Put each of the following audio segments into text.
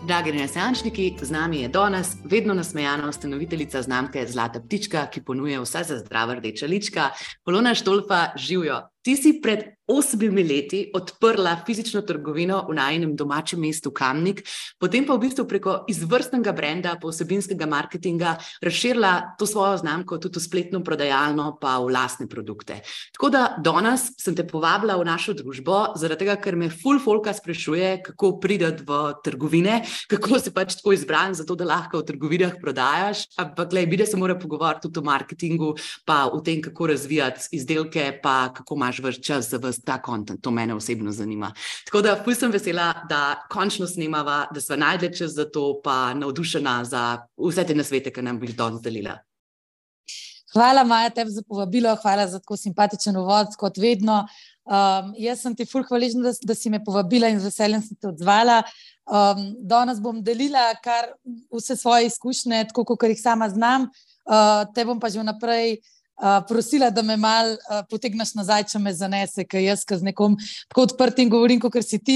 Dragi renesančniki, z nami je danes vedno nasmejana ustanoviteljica znamke Zlata ptička, ki ponuje vse za zdrava rdeča lička. Polona Štolfa, živjo. Ti si pred 8 leti odprla fizično trgovino v najinem domačem mestu Kamnik, potem pa v bistvu preko izvrstnega brenda, vsebinskega marketinga razširila to svojo znamko tudi v spletno prodajalno pa v lastne produkte. Tako da danes sem te povabila v našo družbo, zaradi tega, ker me ful folka sprašuje, kako priti v trgovine, kako se pač tako izbran za to, da lahko v trgovinah prodajaš, ampak glej, bi da se mora pogovoriti tudi o marketingu, pa o tem, kako razvijati izdelke, pa kako imaš vrš čas za ta content, to mene osebno zanima. Tako da ful sem vesela, da končno snemava, da sva najdla čas za to, pa navdušena za vse te nasvete, ki nam bi danes delila. Hvala, Maja, tebi za povabilo, hvala za tako simpatičen uvod, kot vedno. Jaz sem ti ful hvaležna, da si me povabila in z veseljem sem te odzvala. Danes bom delila kar vse svoje izkušnje, tako kot jih sama znam. Te bom pa že vnaprej prosila, da me malo potegneš nazaj, če me zanese, ker jaz z nekom tako odprtim govorim, kot si ti,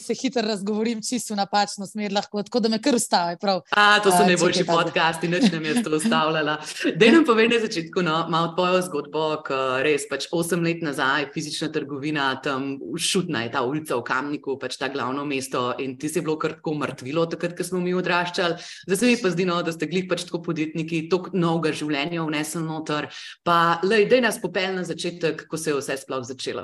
se hitro razgovorim čisto v napačno smer lahko, tako da me kar ustavi. To so najboljši podcasti, nič nam je to ustavljala. Daj nam povej na začetku, malo tvojo zgodbo, ker res 8 let nazaj fizična trgovina, tam Šutna je ta ulica v Kamniku, ta glavno mesto in ti si bilo kar tako mrtvilo takrat, ko smo mi odraščali. Zdaj se mi pa zdi, da ste glih tako podjetniki, toliko novega življenja vnesli noter. Pa, daj nas popelj na začetek, kako se je vse sploh začelo.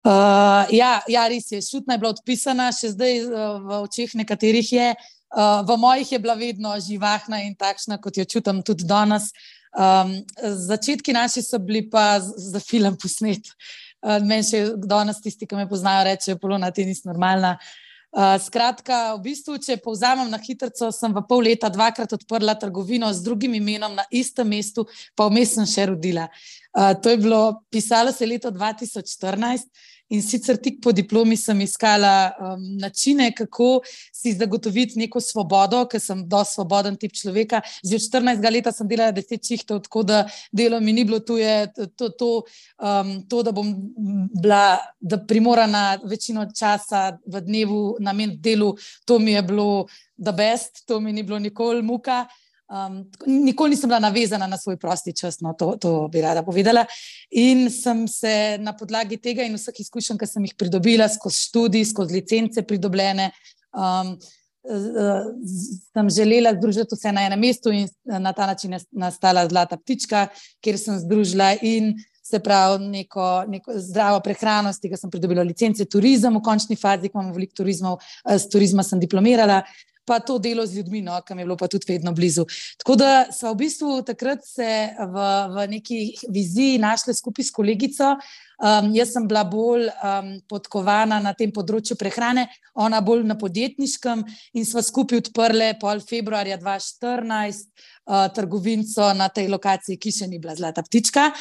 Ja, res je. Šutna je bila odpisana, še zdaj v očeh nekaterih je. V mojih je bila vedno živahna in takšna, kot jo čutim tudi danes. Začetki naši so bili pa za film posnet. Meni še danes tisti, ki me poznajo, rečejo, Polona, ti nisi normalna. Skratka, v bistvu, če povzamem na hitrico, sem v pol leta 2-krat odprla trgovino z drugim imenom na istem mestu, pa vmes sem še rodila. To je bilo, pisalo se leto 2014 in sicer tik po diplomi sem iskala načine, kako si zagotoviti neko svobodo, ker sem dosti svoboden tip človeka. Že od 14 leta sem delala 10 šihtov, tako da delo mi ni bilo tuje, da bom bila primorana večino časa v dnevu nameniti delu, to mi je bilo the best, to mi ni bilo nikoli muka. Nikoli nisem bila navezana na svoj prosti čas, to bi rada povedala, in sem se na podlagi tega in vseh izkušenj, ki sem jih pridobila skozi študij, skozi licence pridobljene, sem želela združiti vse na enem mestu in na ta način je nastala Zlata ptička, kjer sem združila in se pravi neko zdravo prehrano, z tega sem pridobila licence, turizem v končni fazi, ko imam veliko turizmov, z turizma sem diplomirala, pa to delo z ljudmi, ki mi je bilo pa tudi vedno blizu. Tako da sva v bistvu takrat se v neki viziji našli skupaj s kolegico. Jaz sem bila bolj podkovana na tem področju prehrane, ona bolj na podjetniškem in sva skupaj odprli pol februarja 2014 trgovinco na tej lokaciji, ki še ni bila Zlata ptička.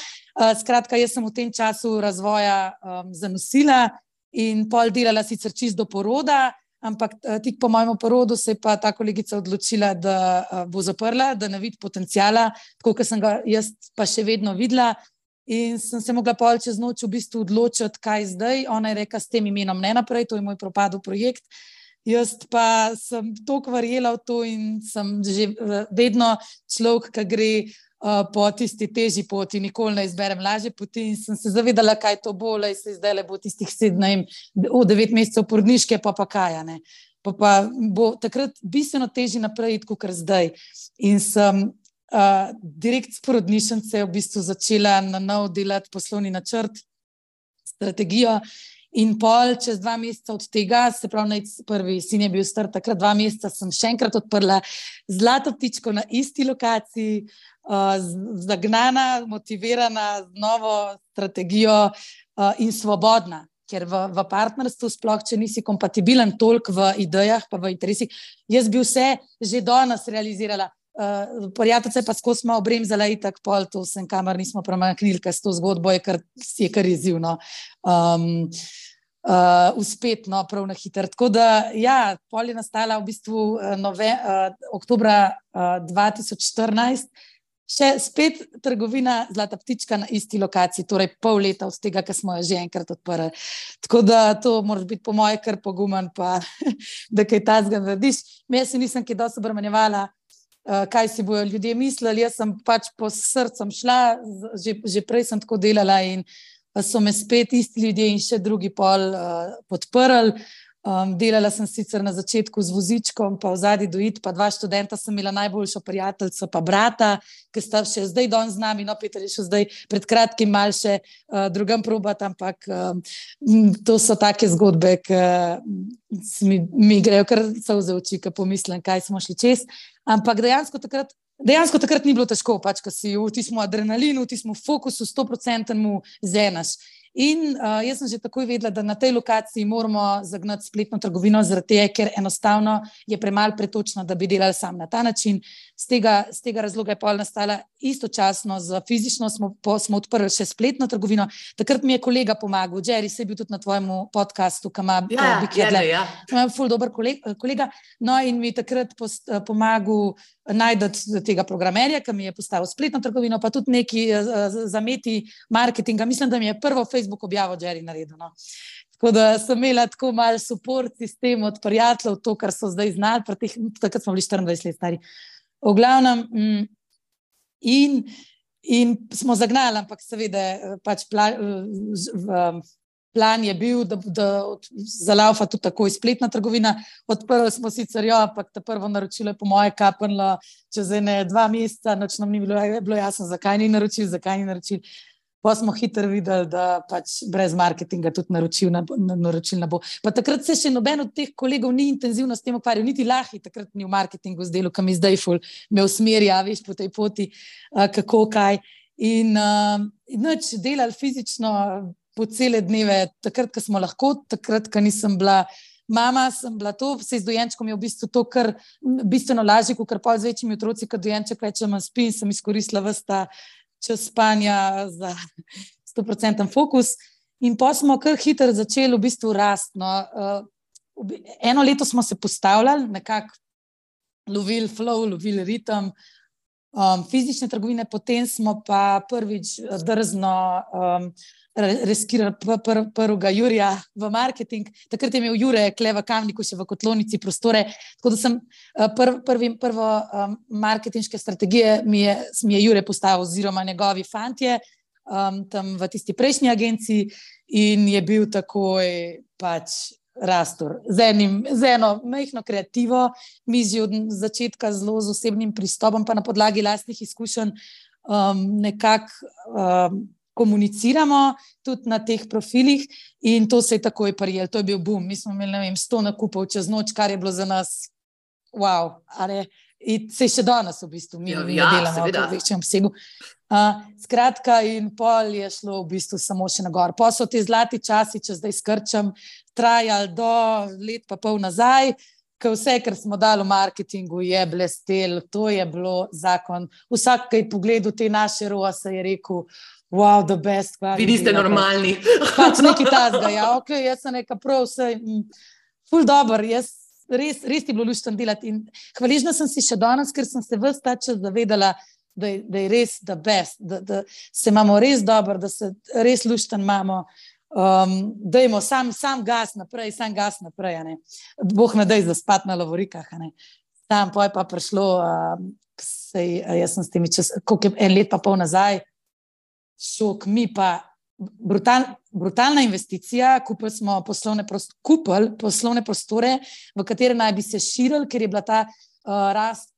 Skratka, jaz sem v tem času razvoja zanosila in pol delala sicer čisto do poroda, ampak tik po mojem porodu se je pa ta kolegica odločila, da bo zaprla, da ne vidi potenciala, tako kot sem ga jaz pa še vedno videla. In sem se mogla pol čez noč v bistvu odločiti, kaj zdaj. Ona je rekla, s tem imenom ne naprej, to je moj propadel projekt. Jaz pa sem toliko verjela v to in sem že vedno človek, ki gre po tisti težji poti, nikoli ne izberem lažje poti in sem se zavedala, kaj to bo, se zdaj le bo tistih 9 mesecev porodniške, pa kaj, ne. Pa bo takrat bistveno težje naprej iti, kot zdaj. In sem direkt s porodnišnice v bistvu začela na nov delati poslovni načrt, strategijo. In pol čez 2 meseca od tega, se pravi, prvi sin je bil star, takrat 2 meseca sem še enkrat odprla Zlato ptičko na isti lokaciji, zagnana, motivirana, z novo strategijo in svobodna. Ker v partnerstvu sploh, če nisi kompatibilen toliko v idejah pa v interesih, jaz bi vse že danes realizirala. Prijateljice pa skozi smo obremzala itak pol, to sem kamar nismo premaknili, ker s to zgodbo je kar izzivno. Uspetno, prav na hitro. Tako da, ja, pol je nastala v bistvu oktobra 2014 še spet trgovina Zlata ptička na isti lokaciji, torej pol leta od tega, ker smo jo že enkrat odprli. Tako da to moraš biti po moje kar pogumen, pa da kaj tazga narediš. Jaz se nisem kaj dosti obremenjevala, kaj si bojo ljudje mislili, jaz sem pač po srcem šla, že prej sem tako delala in so me spet isti ljudje in še drugi pol podprli. Delala sem sicer na začetku z vozičkom, pa v zadnji dojit, pa 2 študenta sem imela najboljšo prijateljico, pa brata, ki sta še zdaj danes z nami, no, Peter je še zdaj pred kratkim mal še drugam probat, ampak to so take zgodbe, ki mi grejo kar solze v oči, ko pomislim, kaj smo šli čez, ampak dejansko takrat ni bilo težko, pač, ko si v tistem adrenalinu, v tistem fokusu 100% zenaš. In jaz sem že takoj vedela, da na tej lokaciji moramo zagnati spletno trgovino, zaradi tega, ker enostavno je premalo pretočno, da bi delali sam na ta način. Z tega razloga je pol nastala istočasno z fizično, smo odprli še spletno trgovino. Takrat mi je kolega pomagal, Jerry, se je bil tudi na tvojem podcastu, ki ima Big Headline. Ja. Ful dober kolega. No in mi takrat pomagal najti tega programerja, ki mi je postavil spletno trgovino, pa tudi neki zameti marketinga. Mislim, da mi je prvo Facebook objavo Jerry naredil. No. Tako da sem imela tako malo support sistem od prijateljev, to, kar so zdaj znali, takrat smo bili 24 let stari. V glavnem, in smo zagnali, ampak seveda pač plan je bil, da zalaufa tudi takoj spletna trgovina. Odprli smo sicer jo, ampak ta prvo naročilo je po moje kapenlo čez 2 meseca, nič nam ni bilo jasno, zakaj ni naročil. Pa smo hitro videli, da pač brez marketinga tudi naročil ne bo. Pa takrat se še noben od teh kolegov ni intenzivno s tem ukvarjal, niti Lahi takrat ni v marketingu zdelo, kam je zdaj ful me usmerja, veš, po tej poti, kako, kaj. In nič delali fizično po cele dneve, takrat, ko smo lahko, takrat, ko nisem bila mama, sem bila to, se z dojenčkom je v bistvu to kar bistveno lažje, kot pol z večjimi otroci, ko dojenček reče, manj spim, sem izkoristila ves ta čas spanja za 100% fokus in pa smo kar hitro začeli v bistvu rasti. No. Eno leto smo se postavljali, nekako lovili flow, lovili ritem fizične trgovine, potem smo pa prvič drzno reskirali prvega Jurija v marketing. Takrat je imel Jure kle v Kamniku še v Kotlonici prostore, tako da sem prvo marketinške strategije mi je Jure postavil oziroma njegovi fantje tam v tisti prejšnji agenciji in je bil takoj pač rastor. Z eno majhno kreativo, mi že od začetka zelo z osebnim pristopom, pa na podlagi lastnih izkušenj nekako komuniciramo tudi na teh profilih in to se je takoj prijelo. To je bil boom. Mi smo imeli, 100 nakupov čez noč, kar je bilo za nas wow. In se še danes v bistvu mi ne delamo v večjem obsegu. Skratka, in pol je šlo v bistvu samo še na gor. Pa so te zlati časi, če zdaj skrčam, trajali do let pa pol nazaj, ko vse, kar smo dali v marketingu, je blestel, to je bilo zakon. Vsak, ki je pogledal te naše ROAS, je rekel, wow, the best. Vi niste normalni. Pač nekaj tazga, ja, ok, jaz sem neka prav vse, ful dober, jaz res ti bilo luštno delati in hvaležna sem si še danes, ker sem se ves ta čas zavedala, da je res the best, da se imamo res dobro, da se res luštno imamo, dajmo sam gas naprej, ne. Bog ne daj zaspat na lovorikah, ne. Tam pa je pa prišlo, jaz sem s temi koliko je 1 let pa pol nazaj, šok, mi pa brutalna investicija, kupili smo poslovne prostore, v katere naj bi se širili, ker je bila ta rast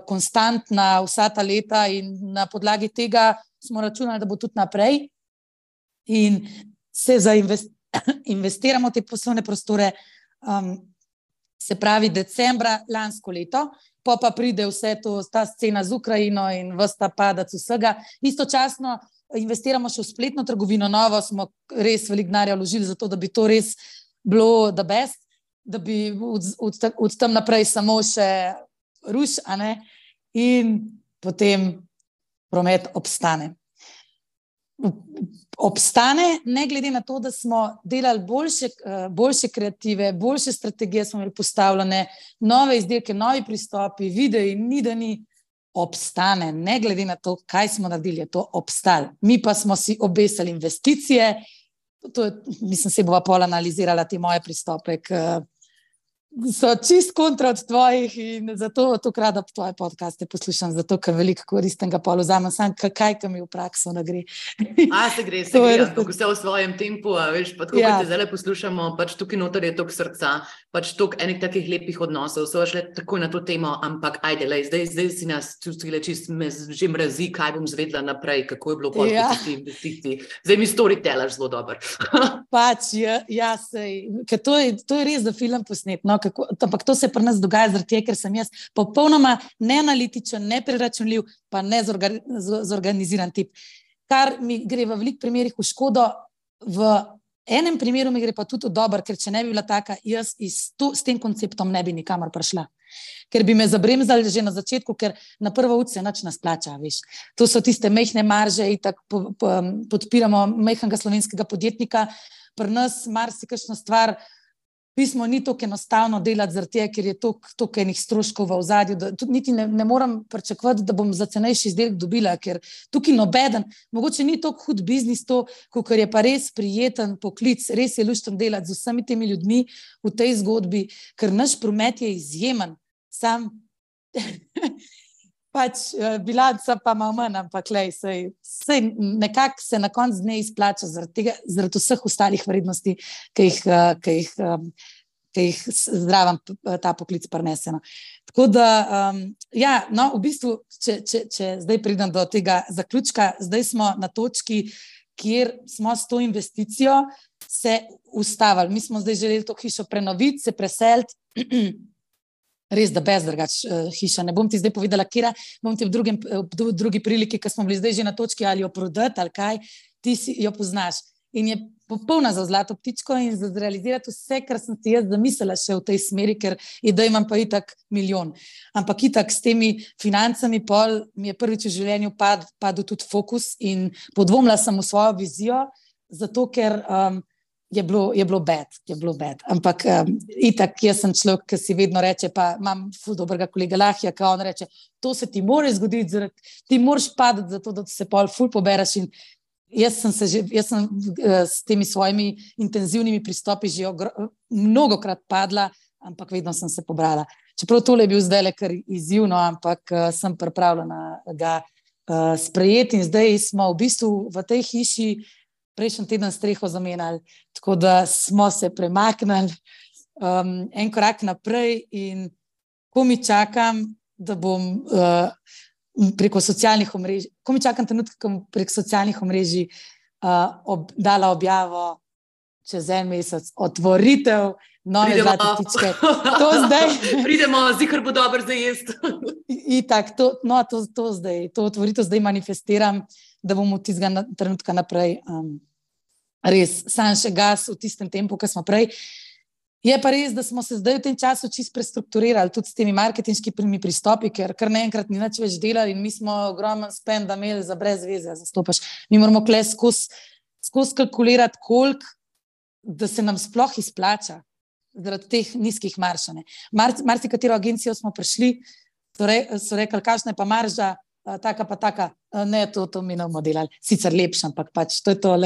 konstantna vsa ta leta in na podlagi tega smo računali, da bo tudi naprej in se investiramo te poslovne prostore, se pravi decembra lansko leto, pa pride vse to, ta scena z Ukrajino in ves ta padac vsega. Istočasno investiramo še v spletno trgovino, novo smo res veliko denarja vložili za to, da bi to res bilo the best, da bi od tam naprej samo še ruš, a ne, in potem promet obstane. Ne glede na to, da smo delali boljše kreative, boljše strategije smo imeli postavljene, nove izdelke, novi pristopi, videi, ni da ni, obstane, ne glede na to, kaj smo naredili, je to obstal. Mi pa smo si obesili investicije, mislim, se bova pol analizirala te moje pristope, so čist kontra od tvojih in zato tokrat tvoje podcaste poslušam, zato ker veliko koristnega pol vzamem, sam kaj mi v prakso ne gre. Se gre, ampak vse v svojem tempu, veš, pa tako, te zdaj poslušamo, pač tukaj noter je toliko srca, pač toliko enih takih lepih odnosov, so šle takoj na to temo, ampak ajde, zdaj si nas čustili čist, me že mrazi, kaj bom zvedla naprej, kako je bilo pol ti investiciji. Zdaj mi storytellaš zelo dober. Pač, sej, ker to je res za film posnet, no, ampak to se pri nas dogaja zaradi tega, ker sem jaz popolnoma neanalitičen, nepreračunljiv, pa ne zorganiziran tip. Kar mi gre v veliko primerih v škodo, v enem primeru mi gre pa tudi dobro, ker če ne bi bila taka, jaz s tem konceptom ne bi nikamor prišla. Ker bi me zabremzali že na začetku, ker na prvo ud se nič ne splača, veš. To so tiste majhne marže in tako podpiramo majhnega slovenskega podjetnika. Pri nas marsikakšna stvar pismo ni tako enostavno delati zaradi tega, ker je toliko enih stroškov v ozadju, da tudi niti ne moram pričakovati, da bom za cenejši izdelek dobila, ker tukaj nobeden, mogoče ni toliko hud biznis to, kakor je pa res prijeten poklic, res je luštno delati z vsemi temi ljudmi v tej zgodbi, ker naš promet je izjemen, sam pač bilanca pa malo manj, ampak sej nekako se na koncu dne izplača zaradi vseh ostalih vrednosti, ki jih zdravam ta poklic prineseno. Tako da, v bistvu, če zdaj pridem do tega zaključka, zdaj smo na točki, kjer smo s to investicijo se ustavili. Mi smo zdaj želeli to hišo prenoviti, se preseliti, res da brez hiša. Ne bom ti zdaj povedala, kjera, bom ti v drugi priliki, ker smo bili zdaj že na točki, ali jo prodati, ali kaj, ti jo poznaš. In je popolna za Zlato ptičko in za zrealizirati vse, kar sem si jaz zamislila še v tej smeri, ker idej imam pa itak milijon. Ampak itak s temi financami pol mi je prvič v življenju padel tudi fokus in podvomila sem v svojo vizijo, zato ker je bilo bad. Ampak itak jaz sem človek, ki si vedno reče, pa imam ful dobrega kolega Lahja, ki on reče, to se ti more zgoditi, ti moraš padati zato, da se pol ful pobereš in jaz sem s temi svojimi intenzivnimi pristopi že mnogokrat padla, ampak vedno sem se pobrala. Čeprav tole je bil zdaj le kar izzivno, ampak sem pripravljena ga sprejeti in zdaj smo v bistvu v tej hiši prejšnji teden streho zamenjali, tako da smo se premaknili en korak naprej in ko mi čakam, da bom preko socialnih omrežij, ko mi čakam trenutek, ko bom preko socialnih omrežij dala objavo čez en mesec, otvoritev nove Zlate ptičke. To zdaj. Pridemo, zikr bo dobro za jesti. Itak, to otvoritev zdaj manifestiram, da bom od tistega trenutka naprej res sam še gas v tistem tempu, ki smo prej. Je pa res, da smo se zdaj v tem času čisto prestrukturirali tudi s temi marketinškimi pristopi, ker kar naenkrat ni nič več delali in mi smo ogromen spenda imeli za brez veze zastopaš. Mi moramo kle skozi kalkulirati koliko, da se nam sploh izplača zaradi teh nizkih marž. Marsikatero agencijo smo prišli, so rekli, kakšna je pa marža, taka pa taka, ne, to mi ne bomo delali, sicer lepša, ampak pač to je to,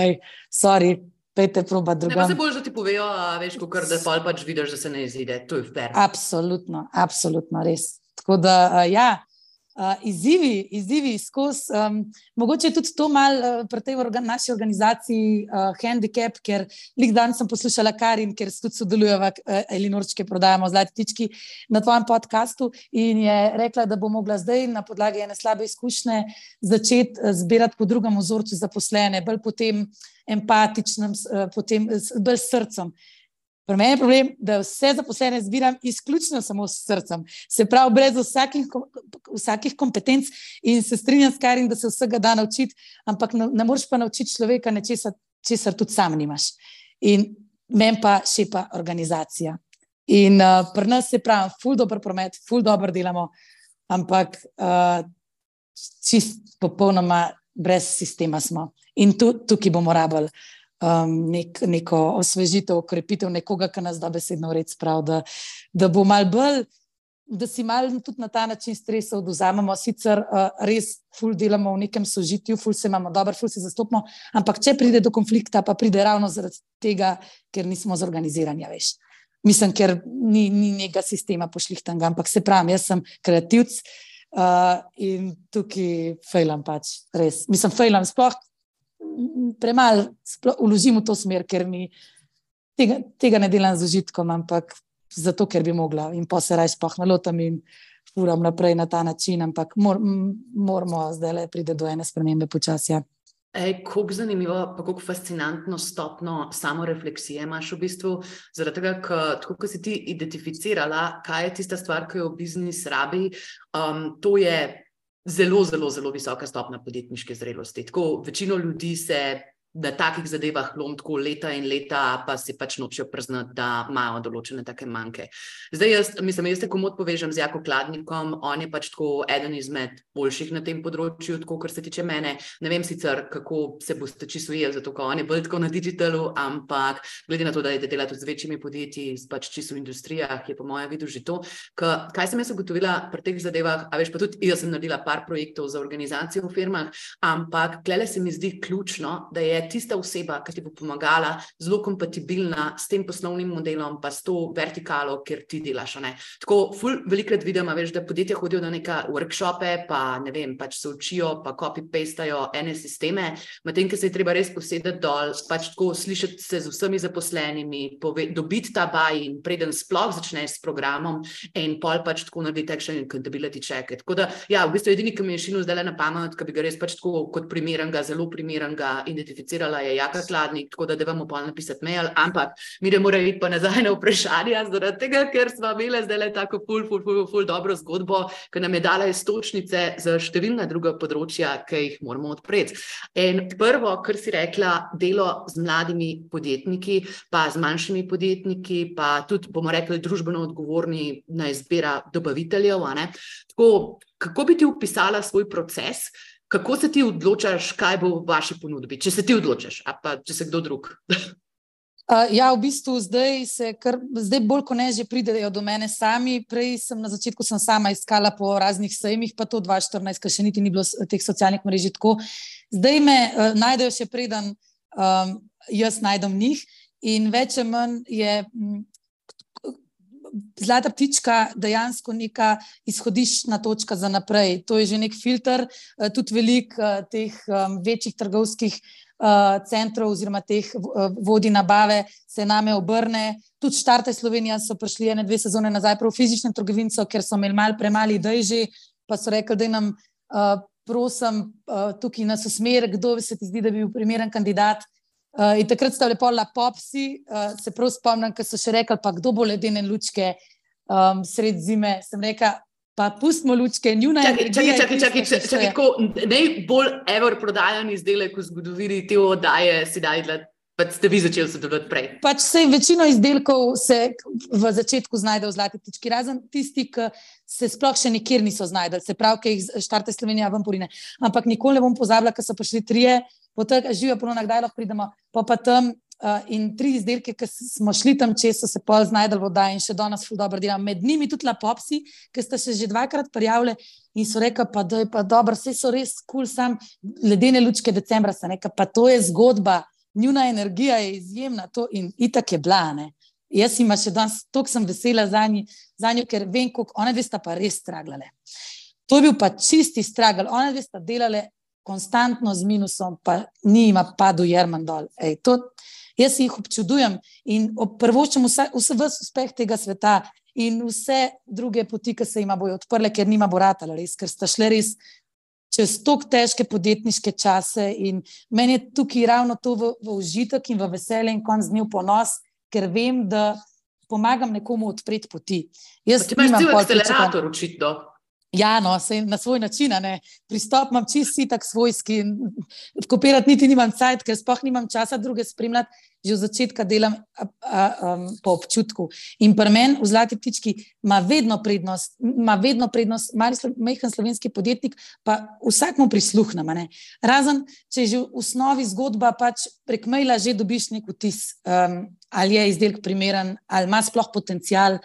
sorry, pejte probat drugam. Ne, pa se bolj, da ti povejo, veš, kakor da pač vidiš, da se ne izide, to je fair. Absolutno, res. Tako da, izzivi skozi, mogoče je tudi to malo pri tej naši organizaciji handicap, ker lik dan sem poslušala Karin, ker tudi sodelujeva Elinorčke prodajamo Zlati ptički na tvojem podcastu in je rekla, da bo mogla zdaj na podlagi ene slabe izkušnje začeti zbirati po drugem vzorcu zaposlene, bolj potem empatičnem, potem bolj s srcem. Pri meni je problem, da vse zaposlene zbiram izključno samo s srcem. Se pravi, brez vsakih kompetenc in se strinjam s Karin, da se vsega da naučiti, ampak ne moreš pa naučiti človeka nečesa, česar tudi sam nimaš. In meni pa šepa organizacija. In pri nas se pravi, ful dober promet, ful dober delamo, ampak čist popolnoma brez sistema smo. In tukaj bomo rabili neko osvežitev, okrepitev nekoga, ki nas dobesedno v red spravi, da bo malo bolj da si malo tudi na ta način stresa odvzamemo, sicer res ful delamo v nekem sožitju, ful se imamo dobro, ful se zastopimo, ampak če pride do konflikta, pa pride ravno zaradi tega, ker nismo zorganizirani, veš. Mislim, ker ni nekega sistema pošlihtanga, ampak se pravim, jaz sem kreativc in tukaj fejlam pač, res. Mislim, fejlam sploh premalo vložim v to smer, ker mi tega ne delam z užitkom, ampak zato, ker bi mogla in pa se raj sploh nalotam in furam naprej na ta način, ampak moramo zdaj pride do ene spremembe počasja. Koliko zanimivo, pa koliko fascinantno stopno samorefleksije imaš v bistvu, zaradi tega, tako ko si ti identificirala, kaj je tista stvar, ki jo biznis rabi, to je zelo, zelo, zelo visoka stopna podjetniške zrelosti. Tako večino ljudi se na takih zadevah lom tako leta in leta, pa si pač nočejo priznati, da imajo določene take manjke. Zdaj jaz te komot povežem z Jako Kladnikom, on je pač tako eden izmed boljših na tem področju, tako kar se tiče mene. Ne vem sicer, kako se boste čisto ujeli, zato ko on je bolj tako na digitalu, ampak glede na to, da je dela tudi z večjimi podjetji, pač čisto v industrijah, je po mojem vidu že to. Kaj sem jaz ugotovila pri teh zadevah, a veš, pa tudi jaz sem naredila par projektov za organizacijo v firmah, ampak tlele se mi zdi ključno, da je tista oseba, ki ti bo pomagala, zelo kompatibilna s tem poslovnim modelom, pa s to vertikalo, kjer ti delaš. Tako velikrat vidim, veš, da podjetja hodijo na neka workshope, pa ne vem, pač se učijo, pa copy-pastajo ene sisteme, medtem, ki se je treba res posedeti dol, pač tako slišati se z vsemi zaposlenimi, dobiti ta buy-in, preden sploh začneš s programom in pol pač tako narediti action accountability check. Tako da, ja, v bistvu edini, ki mi je šinil zdaj na pamet, ki bi ga res pač tako kot primernega, zelo primernega identificirala, je Jaka Kladnik, tako da vamo pol napisati mail, ampak mi ne mora iti pa nazaj na vprašanja, zaradi tega, ker smo imeli zdaj tako ful dobro zgodbo, ki nam je dala iztočnice za številna druga področja, ki jih moramo odpreti. In prvo, kar si rekla, delo z mladimi podjetniki, pa z manjšimi podjetniki, pa tudi, bomo rekli, družbeno odgovorni na izbira dobaviteljev. Tako, kako bi ti opisala svoj proces? Kako se ti odločaš, kaj bo v vaši ponudbi? Če se ti odločaš, a pa če se kdo drug? Ja, v bistvu zdaj bolj ko ne že pridejo do mene sami. Prej na začetku sem sama iskala po raznih sejmih, pa to 2014, ker še niti ni bilo teh socialnih mrež tako. Zdaj me najdejo še preden jaz najdem njih in več ali manj je Zlata ptička dejansko neka izhodiščna točka za naprej. To je že nek filter, tudi veliko teh večjih trgovskih centrov oziroma teh vodij nabave se name obrne. Tudi Štartaj Slovenija so prišli 1-2 sezone nazaj prav v fizično trgovinco, ker so imeli malo premali idej že, pa so rekli, da nam prosim tukaj nas usmer, kdo se ti zdi, da bi bil primeren kandidat. In takrat sta lepo Popsi, se prav spomnim, ko so še rekli, pa kdo bo ledene lučke sred zime, sem rekla, pa pustimo lučke, njuna energija. Čakaj, najbolj ever prodajan izdelek v zgodovini te oddaje si dajla, pa ste vi začeli sodelovati prej. Pač večino izdelkov se v začetku znajde v Zlati ptički, razen tisti, ki se sploh še nikjer niso znajdeli, se pravi, ki jih Štartaj Slovenija ven porine. Ampak nikoli ne bom pozabila, ko so prišli 3, potem živijo Polona, kdaj lahko pridemo, pa tam in 3 izdelke, ki smo šli tam čez, so se pol znajdeli v oddaji in še danes ful dobro delam. Med njimi tudi Popsi, ki sta se že 2-krat prijavili in so rekli, pa da je pa dobro, vse so res cool, sam ledene lučke decembra, sem rekla, pa to je zgodba, njuna energija je izjemna, to in itak je bila, ne. Jaz ima še danes, toliko sem vesela za njo, ker vem, koliko, one dve sta pa res straglale. To je bil pa čisti stragl, one dve sta delale konstantno z minusom, pa ni ima padel Jerman dol. Jaz jih občudujem in prvoščem vse uspeh tega sveta in vse druge poti, ki se jima bojo odprle, ker nima bo ratala res, ker sta šle res čez toliko težke podjetniške čase in meni je tukaj ravno to v užitek in v veselje in konc dni v ponos, ker vem, da pomagam nekomu odpreti poti. Ti imaš cel akcelerator očitno. Ja, no, na svoj način, ne. Pristop imam čisto tak svojski, kopirati niti nimam cajt, ker sploh nimam časa druge spremljati, že od začetka delam po občutku. In pri meni v Zlati ptički ima vedno prednost, majhen slovenski podjetnik, pa vsakmu prisluhnem, ne. Razen, če je že v osnovi zgodba, pač prek maila že dobiš nek vtis, ali je izdelek primeren, ali ima sploh potencial.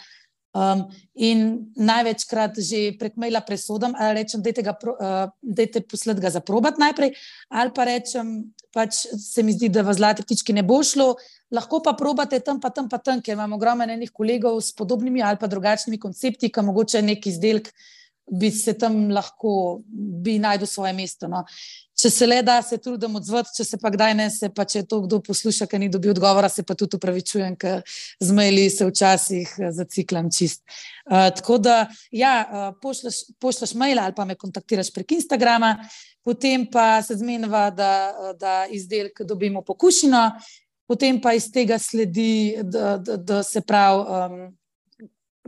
In največkrat že prek maila presodam, ali rečem, dajte poslati ga za probat najprej, ali pa rečem, pač se mi zdi, da v Zlati ptički ne bo šlo, lahko pa probate tam pa tam, ker imam ogromno enih kolegov s podobnimi ali pa drugačnimi koncepti, ki mogoče nek izdelek bi se tam lahko, bi najdel svoje mesto. No. Če se le da, se trudim odzvati, če se pa kdaj ne, se pa če to kdo posluša, ker ni dobil odgovora, se pa tudi upravičujem, ker z maili se včasih zaciklam čist. Tako da, ja, pošljaš maila ali pa me kontaktiraš prek Instagrama, potem pa se zmeniva, da izdelek dobimo pokušino, potem pa iz tega sledi, da se pravi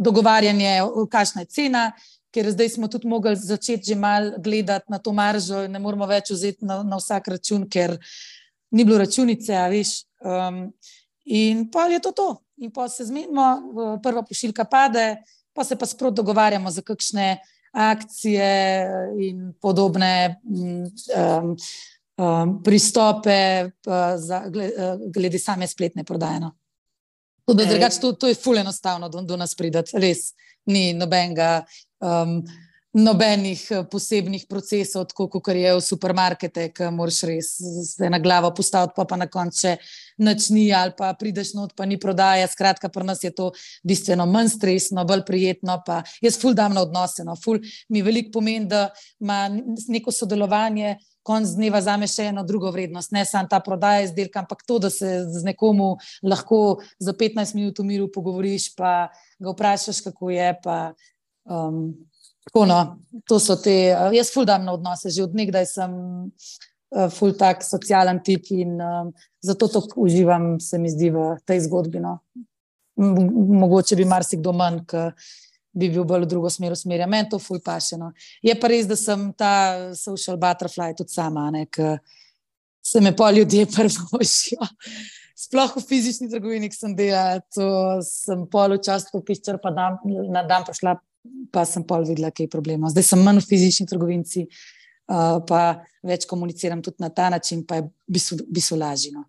dogovarjanje, kakšna je cena, ker zdaj smo tudi mogli začeti že malo gledati na to maržo, ne moramo več vzeti na vsak račun, ker ni bilo računice, a veš. In pa je to. In pa se zmenimo, prva pošiljka pade, pa se pa sprot dogovarjamo za kakšne akcije in podobne pristope glede same spletne prodaje. No. Drugače, to je ful enostavno do nas pridati, res. Ni nobenih posebnih procesov, tako kot je v supermarkete, ki moraš res se na glavo postaviti, pa na koncu nič ni, ali pa prideš not, pa ni prodaja. Skratka, pri nas je to bistveno manj stresno, bolj prijetno, pa jaz ful dam na odnose, no. Ful mi veliko pomeni, da ima neko sodelovanje konc dneva zame še eno drugo vrednost, ne samo ta prodaja izdelka, ampak to, da se z nekomu lahko za 15 minut v miru pogovoriš, pa ga vprašaš, kako je, pa tako no, to so te, jaz ful dam na odnose, že od nekdaj sem ful tak socialen tip in zato to uživam, se mi zdi, v tej zgodbi, no. Mogoče bi marsikdo manj, ki bi bil bolj v drugo smer usmerjen. Meni to ful paše, no. Je pa res, da sem ta social butterfly tudi sama, ne, ki se me pol ljudje prvošijo. Sploh v fizični trgovini, ki sem delala, to sem pol včasih popiščer, pa na dan prišla, pa sem pol videla, kaj je problema. Zdaj sem manj v fizični trgovinci, pa več komuniciram tudi na ta način, pa je bistvo lažje, no.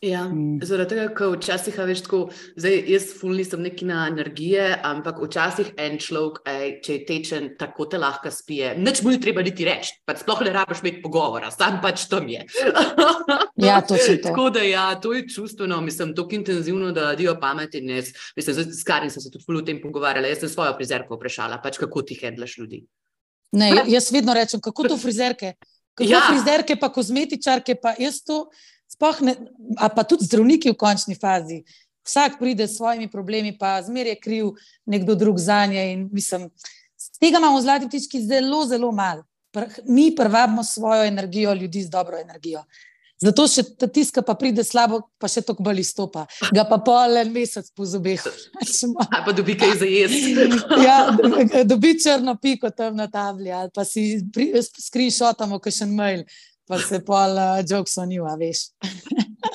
Ja, zaradi tega, ker včasih, veš, tako, zdaj jaz ful nisem nekina energije, ampak včasih en človek, če je tečen, tako te lahko spije. Nič mu ni treba niti reči, pač sploh ne rabiš imeti pogovora, sam pač tam je. Ja, točno to. Tako da ja, to je čustveno, mislim, toliko intenzivno, da dio pameti in jaz, mislim, s Karin sem se tudi ful o tem pogovarjala, jaz sem svojo frizerko vprašala, pač kako ti handlaš ljudi. Ne, jaz vedno rečem, kako to frizerke? Kako frizerke pa kozmetičarke, pa jaz to sploh ne, a pa tudi zdravniki v končni fazi. Vsak pride s svojimi problemi, pa zmer je kriv nekdo drug zanje in mislim, tega imamo v Zlati ptički zelo, zelo malo. Mi privabimo svojo energijo, ljudi z dobro energijo. Zato še tiska pa pride slabo, pa še toliko bolj izstopa. Ga pa pol en mesec po zobeh. A pa dobi kaj za jesti. Ja, dobi črno piko tam na tabli, ali pa si screenshotamo kakšen mail. Pa se pol jokes on you, a veš.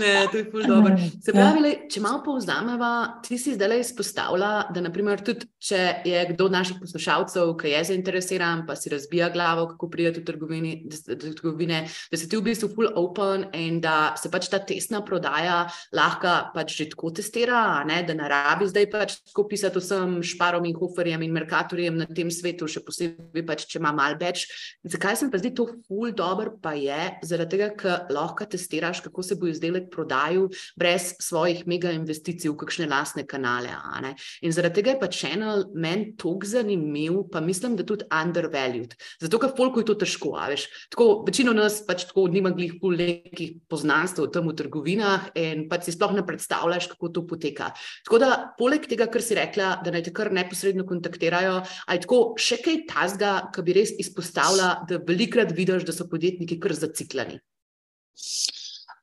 Ne, to je ful dobro. Se pravi, če malo povzameva, ti si zdaj izpostavila, da naprimer tudi, če je kdo od naših poslušalcev, ki je zainteresiran, pa si razbija glavo, kako pride do trgovine, da si ti v bistvu ful open in da se pač ta testna prodaja lahko pač že tako testira, ne? Da ne rabi zdaj pač tako pisati vsem Šparom in Hoferjem in Mercatorjem na tem svetu, še posebej pač, če ima malo več. Zakaj se mi pa zdi to ful dobro, pa je, zaradi tega, ker lahko testiraš, kako se bo izdelek prodajal brez svojih mega investicij v kakšne lastne kanale. Ne? In zaradi tega je pa channel meni toliko zanimiv, pa mislim, da tudi undervalued. Zato, ker folku je to težko, veš. Tako, večino nas pač tako nima glih ful nekih poznanstv tam v trgovinah in pač si sploh ne predstavljaš, kako to poteka. Tako da, poleg tega, kar si rekla, da naj te kar neposredno kontaktirajo, ali tako še kaj tazga, ki bi res izpostavila, da velikrat vidiš, da so podjetniki kar zaciklani.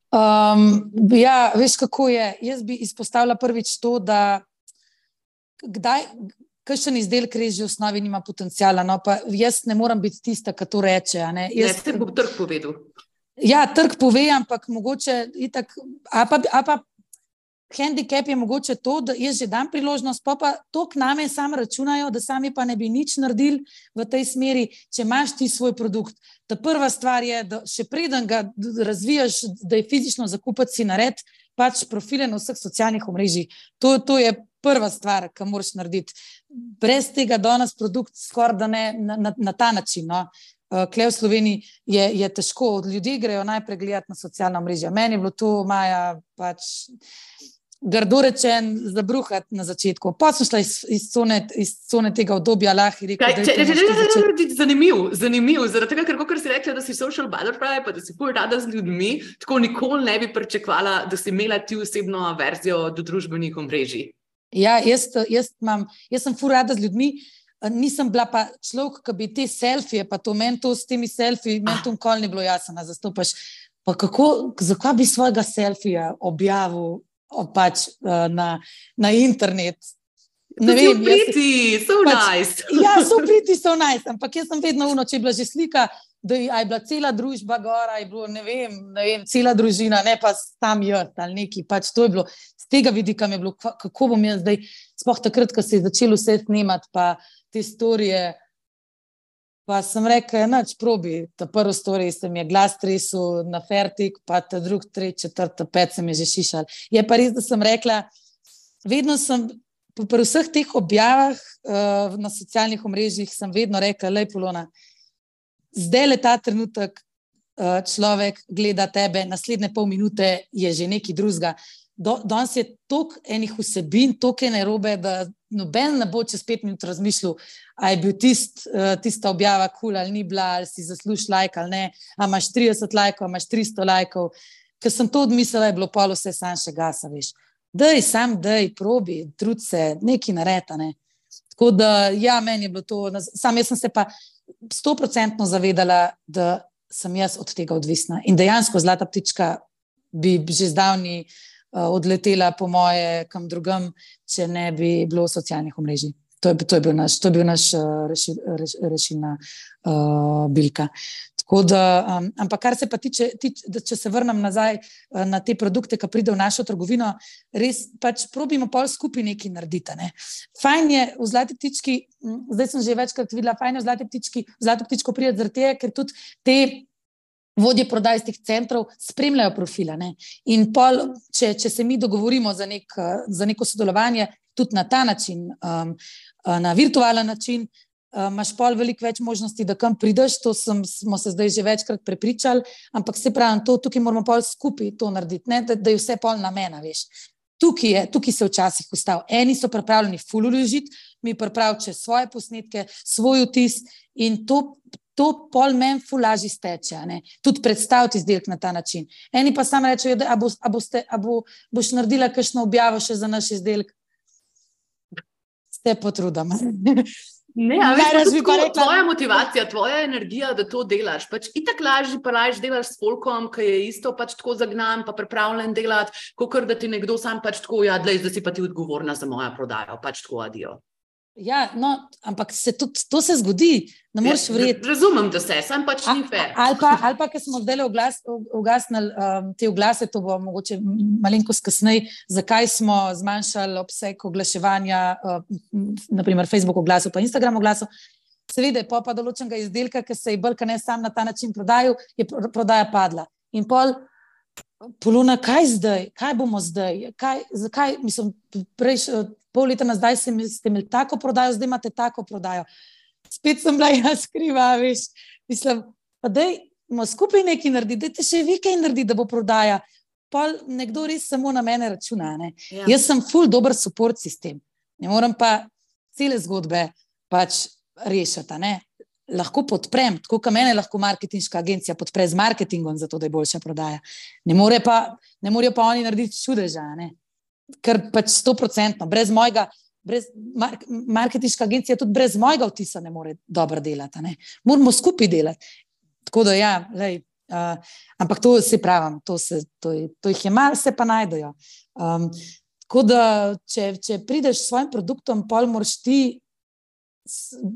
Ja, veš, kako je. Jaz bi izpostavila prvič to, da kakšen izdelek res že v osnovi nima potenciala, no, pa jaz ne moram biti tista, ki to reče. Ne, se bo trg povedal. Ja, trg pove, ampak mogoče itak, a pa handicap je mogoče to, da jaz že dam priložnost, pa to k name sam računajo, da sami pa ne bi nič naredili v tej smeri, če imaš ti svoj produkt. Ta prva stvar je, da še preden ga razvijaš, da je fizično zakupati si nared, pač profile na vseh socialnih omrežjih. To je prva stvar, ki moraš narediti. Brez tega danes produkt skoraj da ne na ta način. No. Kle v Sloveniji je težko. Ljudje grejo najprej gledati na socialna mrežja. Meni je bilo to, Maja, pač grdo rečen, zabruhati na začetku. Pa sem šla iz cone tega obdobja, lahko rekel, zanimiv, zaradi tega, ker si rekla, da si social butterfly, pa da si ful rada z ljudmi, tako nikoli ne bi pričakovala, da si imela ti osebno verzijo do družbenih omrežij. Ja, jaz sem ful rada z ljudmi, nisem bila pa človek, ki bi te selfije, pa to meni to s temi selfiji, meni to nikoli ni bilo jasno, zastopaš. Pa zakaj bi svojega selfija objavil pač na internet? Ne vem, so nice. Ja, so nice, ampak jaz sem vedno če je bila že slika, da je bila cela družba gora, je bilo, ne vem, cela družina, ne pa tam jaz ali neki, pač to je bilo, z tega vidika mi je bilo, kako bom jaz zdaj, sploh takrat, ko se je začelo vse snemati, pa te storije, pa sem rekla, nač probi, ta prvo storij se mi je glas tresel na fertik, pa ta drug, tretji, četrta, pet se mi je že šišal. Je pa res, da sem rekla, vedno sem, pri vseh teh objavah na socialnih omrežjih sem vedno rekla, lej Polona, zdaj le ta trenutek človek gleda tebe, naslednje pol minute je že nekaj drugega. Danes je toliko enih vsebin, toliko je narobe, da noben ne bo čez 5 minut razmišljal, a je bil tista objava cool ali ni bila, ali si zaslužiš like ali ne, a imaš 30 lajkov, a imaš 300 lajkov. Ker sem to odmislila, je bilo pol vse sam še gasa, veš. Dej, probi, trud se, nekaj nareta, ne. Tako da, ja, meni je bilo to, sam jaz sem se pa 100% zavedala, da sem jaz od tega odvisna. In dejansko Zlata ptička bi že zdavni odletela po moje kam drugam, če ne bi bilo socialnih omrežij. To je bil naš rešilna bilka. Tako da, ampak kar se pa tiče, če se vrnem nazaj na te produkte, ki pride v našo trgovino, res pač probimo pol skupaj nekaj narediti. Ne? Fajn je v Zlati ptički, zdaj sem že večkrat videla, fajn je v Zlato ptičko pride zaradi tega, ker tudi te vodje prodaj z teh centrov spremljajo profila. Ne? In pol, če se mi dogovorimo za neko sodelovanje, tudi na ta način, na virtualen način, imaš pol veliko več možnosti, da kam prideš, to smo se zdaj že večkrat prepričali, ampak se pravim, tukaj moramo pol skupaj to narediti, ne? Da je vse pol namena, veš. Tukaj se včasih ustav. Eni so pripravljeni ful vložiti, mi pripraviti svoje posnetke, svoj vtis in to pol meni ful lažje steče, ne? Tudi predstaviti izdelek na ta način. Eni pa samo rečejo, da boš naredila kakšno objavo še za naš izdelek. Ste potrudama. Ne, a veš, tvoja motivacija, tvoja energija, da to delaš, pač itak lažje delaš s folkom, ki je isto pač tako zagnan, pa pripravljen delati, kakor da ti nekdo sam pač tako, ja, dlej, zdaj si pa ti odgovorna za mojo prodajo, pač tako adijo. Ja, no, ampak to se zgodi, ne moreš verjeti. Razumem, da sam pač ni fair. Ali pa, ker smo zdaj ugasnili te oglase, to bo mogoče malenkost kasneje, zakaj smo zmanjšali obseg oglaševanja, naprimer Facebook oglasov pa Instagram oglasov. Seveda je pa določenega izdelka, ki se je bolj ne sam na ta način prodajal, je prodaja padla. In pol, Polona, kaj zdaj? Kaj bomo zdaj? Zakaj? Mislim, pol leta nazaj ste imeli tako prodajo, zdaj imate tako prodajo. Spet sem bila jaz kriva, veš. Mislim, pa dajmo skupaj nekaj narediti, dajte še vi kaj narediti, da bo prodaja. Pol nekdo res samo na mene računa, ne. Ja. Jaz sem ful dober support sistem. Ne moram pa cele zgodbe pač rešiti, ne. Lahko podprem, tako kot mene lahko marketinška agencija podpre z marketingom, zato da je boljša prodaja. Ne morejo pa oni narediti čudeža, ne. Ker pač 100%, marketinška agencija tudi brez mojega vtisa ne more dobro delati, ne. Moramo skupaj delati. Tako da ja, lej, ampak to se pravim, to jih je malo, se pa najdejo. Tako da, če prideš s svojim produktom, pol moraš ti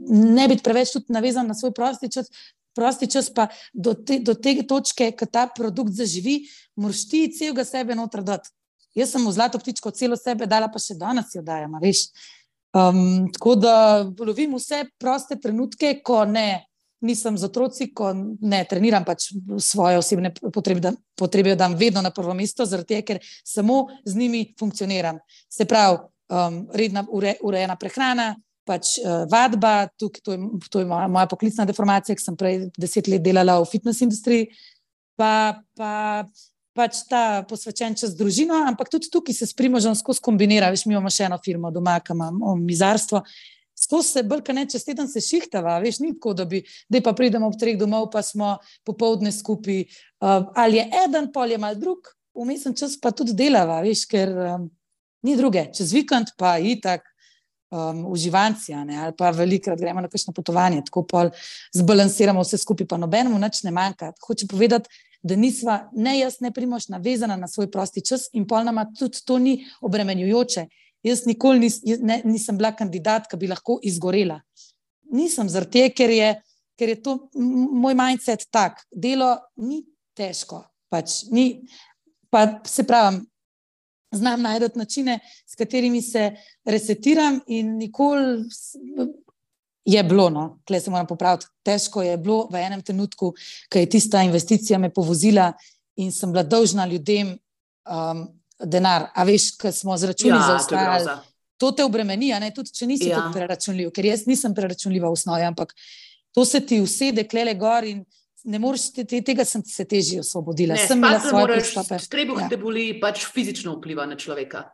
ne biti preveč tudi navezan na svoj prosti čas, pa do te točke, ko ta produkt zaživi, moraš ti celega sebe noter dati. Jaz sem v Zlato ptičko celo sebe dala, pa še danes jo dajem, veš. Tako da lovim vse proste trenutke, ko nisem z otroci, ko ne treniram pač svoje osebne potrebe, dam vedno na prvo mesto, zaradi tega, ker samo z njimi funkcioniram. Se pravi, redna urejena prehrana, pač vadba, to je moja poklicna deformacija, ki sem prej 10 let delala v fitness industriji, pa pač ta posvečen čas družino, ampak tudi tukaj se s Primožem skozi kombinira. Veš, mi imamo še eno firmo doma, ki imamo mizarstvo. Skozi se bolj, ne, čez teden se šihtava, veš, ni tako, da pa pridemo ob 3 domov, pa smo popoldne skupaj. Ali je eden, pol je mal drug, vmesen čas pa tudi delava, veš, ker ni druge. Čez vikend pa itak uživanci, ali pa velikrat gremo na kakšno potovanje, tako pol zbalansiramo vse skupaj, pa nobenemu nič ne manjka. Hoče povedati, da nisva, ne jaz, ne Primož, navezana na svoj prosti čas in pol nama tudi to ni obremenjujoče. Jaz nikoli nisem bila kandidat, ki bi lahko izgorela. Nisem zaradi tega, ker je to moj mindset tak. Delo ni težko, pač ni, pa se pravim, znam najdeti načine, s katerimi se resetiram in nikoli je bilo, no, tukaj se moram popraviti, težko je bilo v enem trenutku, ko je tista investicija me povozila in sem bila dolžna ljudem denar, a veš, ko smo z računi zaostajali, to te obremeni, a ne, tudi če nisi tako preračunljiv, ker jaz nisem preračunljiva v osnovi, ampak to se ti usede klele gor in ne moreš, tega sem se težje osvobodila. Ne, spati ne moreš, trebuh te boli, pač fizično vpliva na človeka.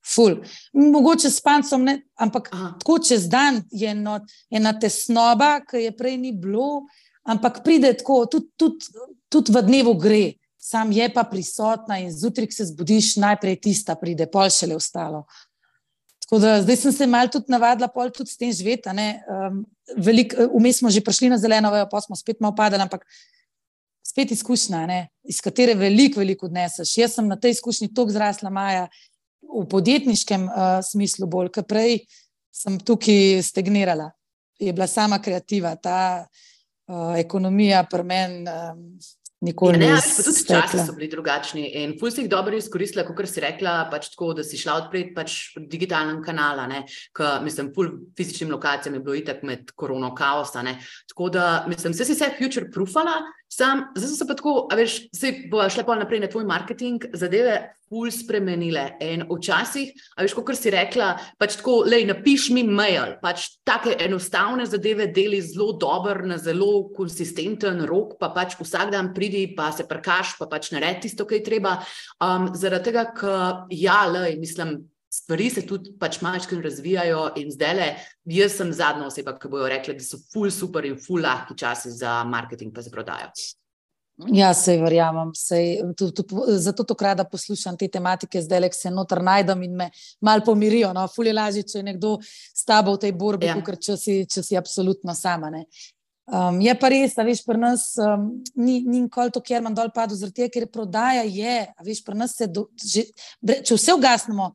Ful. Mogoče s pancem, ne, ampak tako čez dan je ena tesnoba, ki je prej ni bilo, ampak pride tako, tudi v dnevu gre, sam je pa prisotna in zjutraj, ko se zbudiš, najprej tista pride, pol šele ostalo. Tako da zdaj sem se malo tudi navadila, pol tudi s tem živeti, ne, vmes smo že prišli na zeleno vejo, pa smo spet malo padali, ampak spet izkušnja, ne, iz katere veliko odneseš. Jaz sem na tej izkušnji toliko zrasla, Maja, v podjetniškem smislu bolj, ker prej sem tukaj stagnirala. Je bila sama kreativa, ta ekonomija pri meni nikoli ni pa tudi časi so bili drugačni in ful si jih dobro izkoristila, kakor si rekla, pač tako, da si šla odpreti pač digitalnem kanala, ne, mislim, ful fizičnim lokacijam je bilo itak med korono kaosa, ne, tako da, mislim, vse si se future proofala, zdaj so se pa tako, a veš, se bo šle pol naprej na tvoj marketing, zadeve ful spremenile in včasih, a veš, kakor si rekla, pač tako, napiš mi mail, pač take enostavne zadeve deli zelo dober, na zelo konsistenten rok, pa pač vsak dan pridi, pa se prkaš, pa pač naredi tisto, kaj treba, zaradi tega, mislim, stvari se tudi pač malčkrat razvijajo in zdajle, jaz sem zadnja oseba, ki bojo rekla, da so ful super in ful lahki časi za marketing pa za prodajo. Ja, sej verjamem, zato to rada poslušam te tematike zdaj, ko se noter najdem in me malo pomirijo, no, ful je lažje, če je nekdo s tabo v tej borbi, kakor če si absolutno sama, ne. Je pa res, a veš, pri nas ni nikoli to, kjer imam dol padel, zaradi tega, ker prodaja je, a veš, pri nas če vse ugasnemo,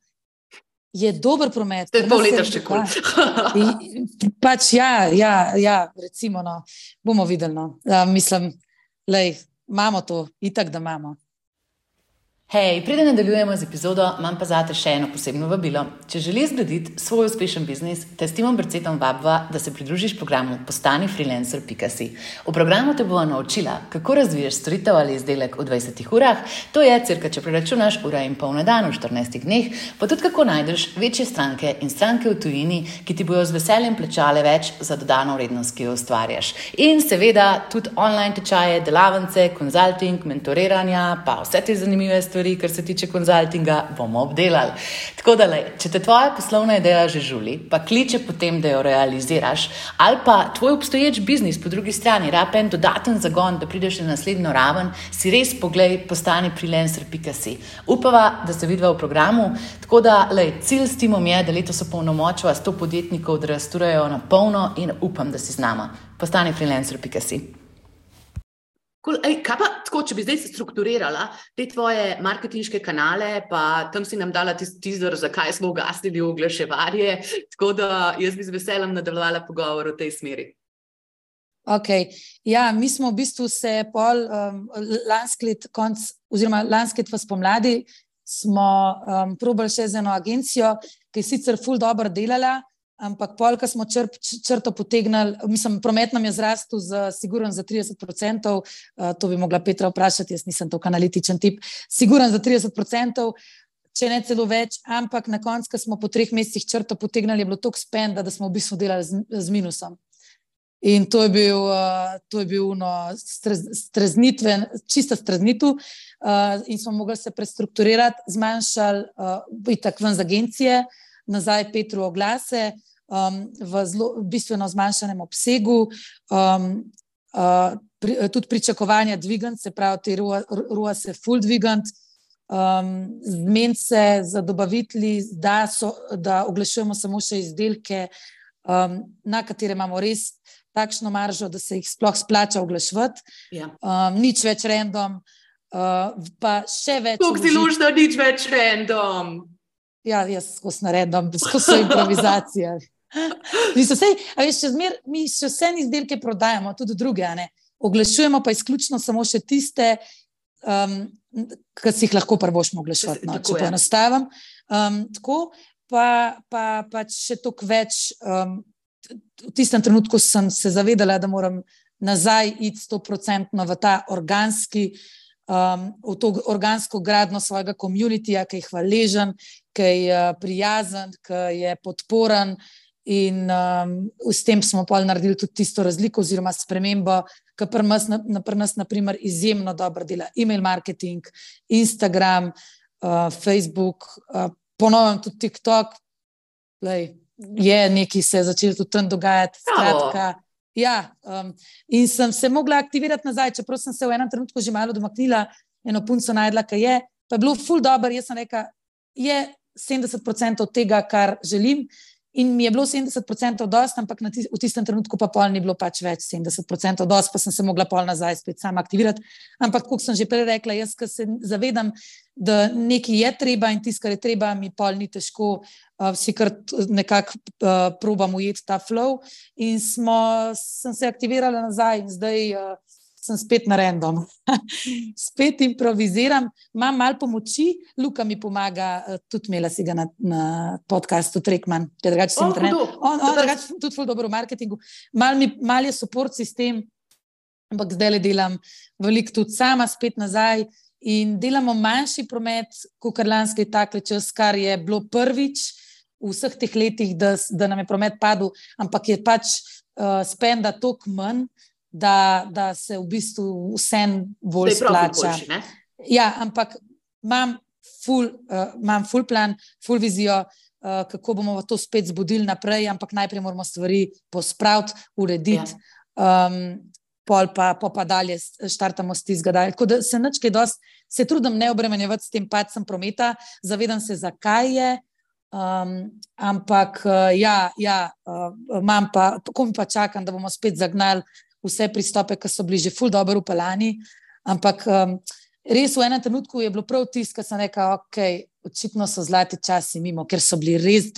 je dober promet. Te pol leta še kul. Pač ja, recimo, no, bomo videli, no. Mislim, imamo to, itak, da imamo. Hej, preden nadaljujemo z epizodo, imam pa zate še eno posebno vabilo. Če želiš zgraditi svoj uspešen biznis, te s Timom Brcetom vabiva, da se pridružiš programu postanifreelancer.si. V programu te bova naučila, kako razviješ storitev ali izdelek v 20 urah, to je cirka, če preračunaš, ura in pol na dan v 14 dneh, pa tudi kako najdeš večje stranke in stranke v tujini, ki ti bojo z veseljem plačale več za dodano vrednost, ki jo ustvarjaš. In seveda tudi online tečaje, delavnice, konzulting, mentoriranja, pa vse te zanimive stvari, kar se tiče konzultinga, bomo obdelali. Tako da, če te tvoja poslovna ideja že žuli, pa kliče potem, da jo realiziraš, ali pa tvoj obstoječ biznis po drugi strani rabi en dodaten zagon, da prideš na naslednjo raven, si res poglej postanifreelancer.si. Upava, da se vidva v programu, tako da, cilj s Timom je, da letos opolnomočiva 100 podjetnikov, da rasturajo na polno in upam, da si z nama. Postanifreelancer.si. Cool. Kaj pa, tako, če bi zdaj se strukturirala te tvoje marketinške kanale, pa tam si nam dala teaser, zakaj smo ugasnili oglaševarje, tako da jaz bi z veseljem nadaljevala pogovor v tej smeri. Ok, ja, mi smo v bistvu se pol lansko let v spomladi smo probali še z eno agencijo, ki je sicer ful dobro delala, ampak pol, ko smo črto potegnali, mislim, promet nam je zrastel sigurno za 30%, to bi mogla Petra vprašati, jaz nisem toliko analitičen tip, sigurno za 30%, če ne celo več, ampak na koncu, ko smo po 3 mesecih črto potegnali, je bilo toliko spenda, da smo v bistvu delali z minusom. In to je bil čista streznitev in smo mogli se prestrukturirati, zmanjšali itak ven z agencije, nazaj Petru oglase, v bistveno zmanjšanem obsegu, tudi pričakovanja dvigant, se pravi, te ROA se ful dvigant, zmeniti se za dobavitelji, da oglašujemo samo še izdelke, na katere imamo res takšno maržo, da se jih sploh splača oglaševati. Ja. Nič več random, pa še več... Tuk si lušno, nič več random. Ja, jaz skozi random, skozi improvizacija. Mi še vse izdelke prodajamo, tudi druge, a ne? Oglašujemo pa izključno samo še tiste, ki si jih lahko prvošmo oglaševati, no, če poenostavim. Tako, pa še toliko več... V tistem trenutku sem se zavedala, da moram nazaj iti 100% v ta v to organsko gradno svojega communityja, ki je hvaležen, ki je prijazen, ki je podporen in s tem smo pol naredili tudi tisto razliko oziroma spremembo, ki pri nas na primer izjemno dobro dela email marketing, Instagram, Facebook, ponovim tudi TikTok, je nekaj se je začelo tudi tam dogajati, skratka, ja, in sem se mogla aktivirati nazaj, čeprav sem se v enem trenutku že malo domaknila, eno punco najdla, ki je, pa je bilo ful dobro, jaz sem rekla, je 70% tega, kar želim, in mi je bilo 70% dost, ampak v tistem trenutku pa pol ni bilo pač več 70% dost, pa sem se mogla pol nazaj spet sama aktivirati, ampak kot sem že prej rekla, jaz, ko se zavedam, da nekaj je treba in tisto, kar je treba, mi pol ni težko, si kar nekako probam ujeti ta flow in sem se aktivirala nazaj in zdaj sem spet na random. Spet improviziram, imam malo pomoči, Luka mi pomaga, tudi imela si ga na podcastu Trekman, on drugače tudi ful dobro v marketingu, mal je support sistem, ampak zdaj delam veliko tudi sama spet nazaj in delamo manjši promet, kakor lanski takle čas, kar je bilo prvič v vseh teh letih, da nam je promet padel, ampak je pač spenda toliko manj, da se v bistvu vsem bolj splača. Ja, ampak imam ful plan, ful vizijo, kako bomo to spet zbudili naprej, ampak najprej moramo stvari pospraviti, urediti, pol pa dalje štartamo s tistega dalje. Tako da se trudim ne obremenjevati s tem padcem prometa, zavedam se, zakaj je, ampak imam pa, tako mi pa čakam, da bomo spet zagnali vse pristope, ki so bili že ful dobro upeljani, ampak res v enem trenutku je bilo prav tisto, ko sem rekla, očitno so zlati časi mimo, ker so bili res,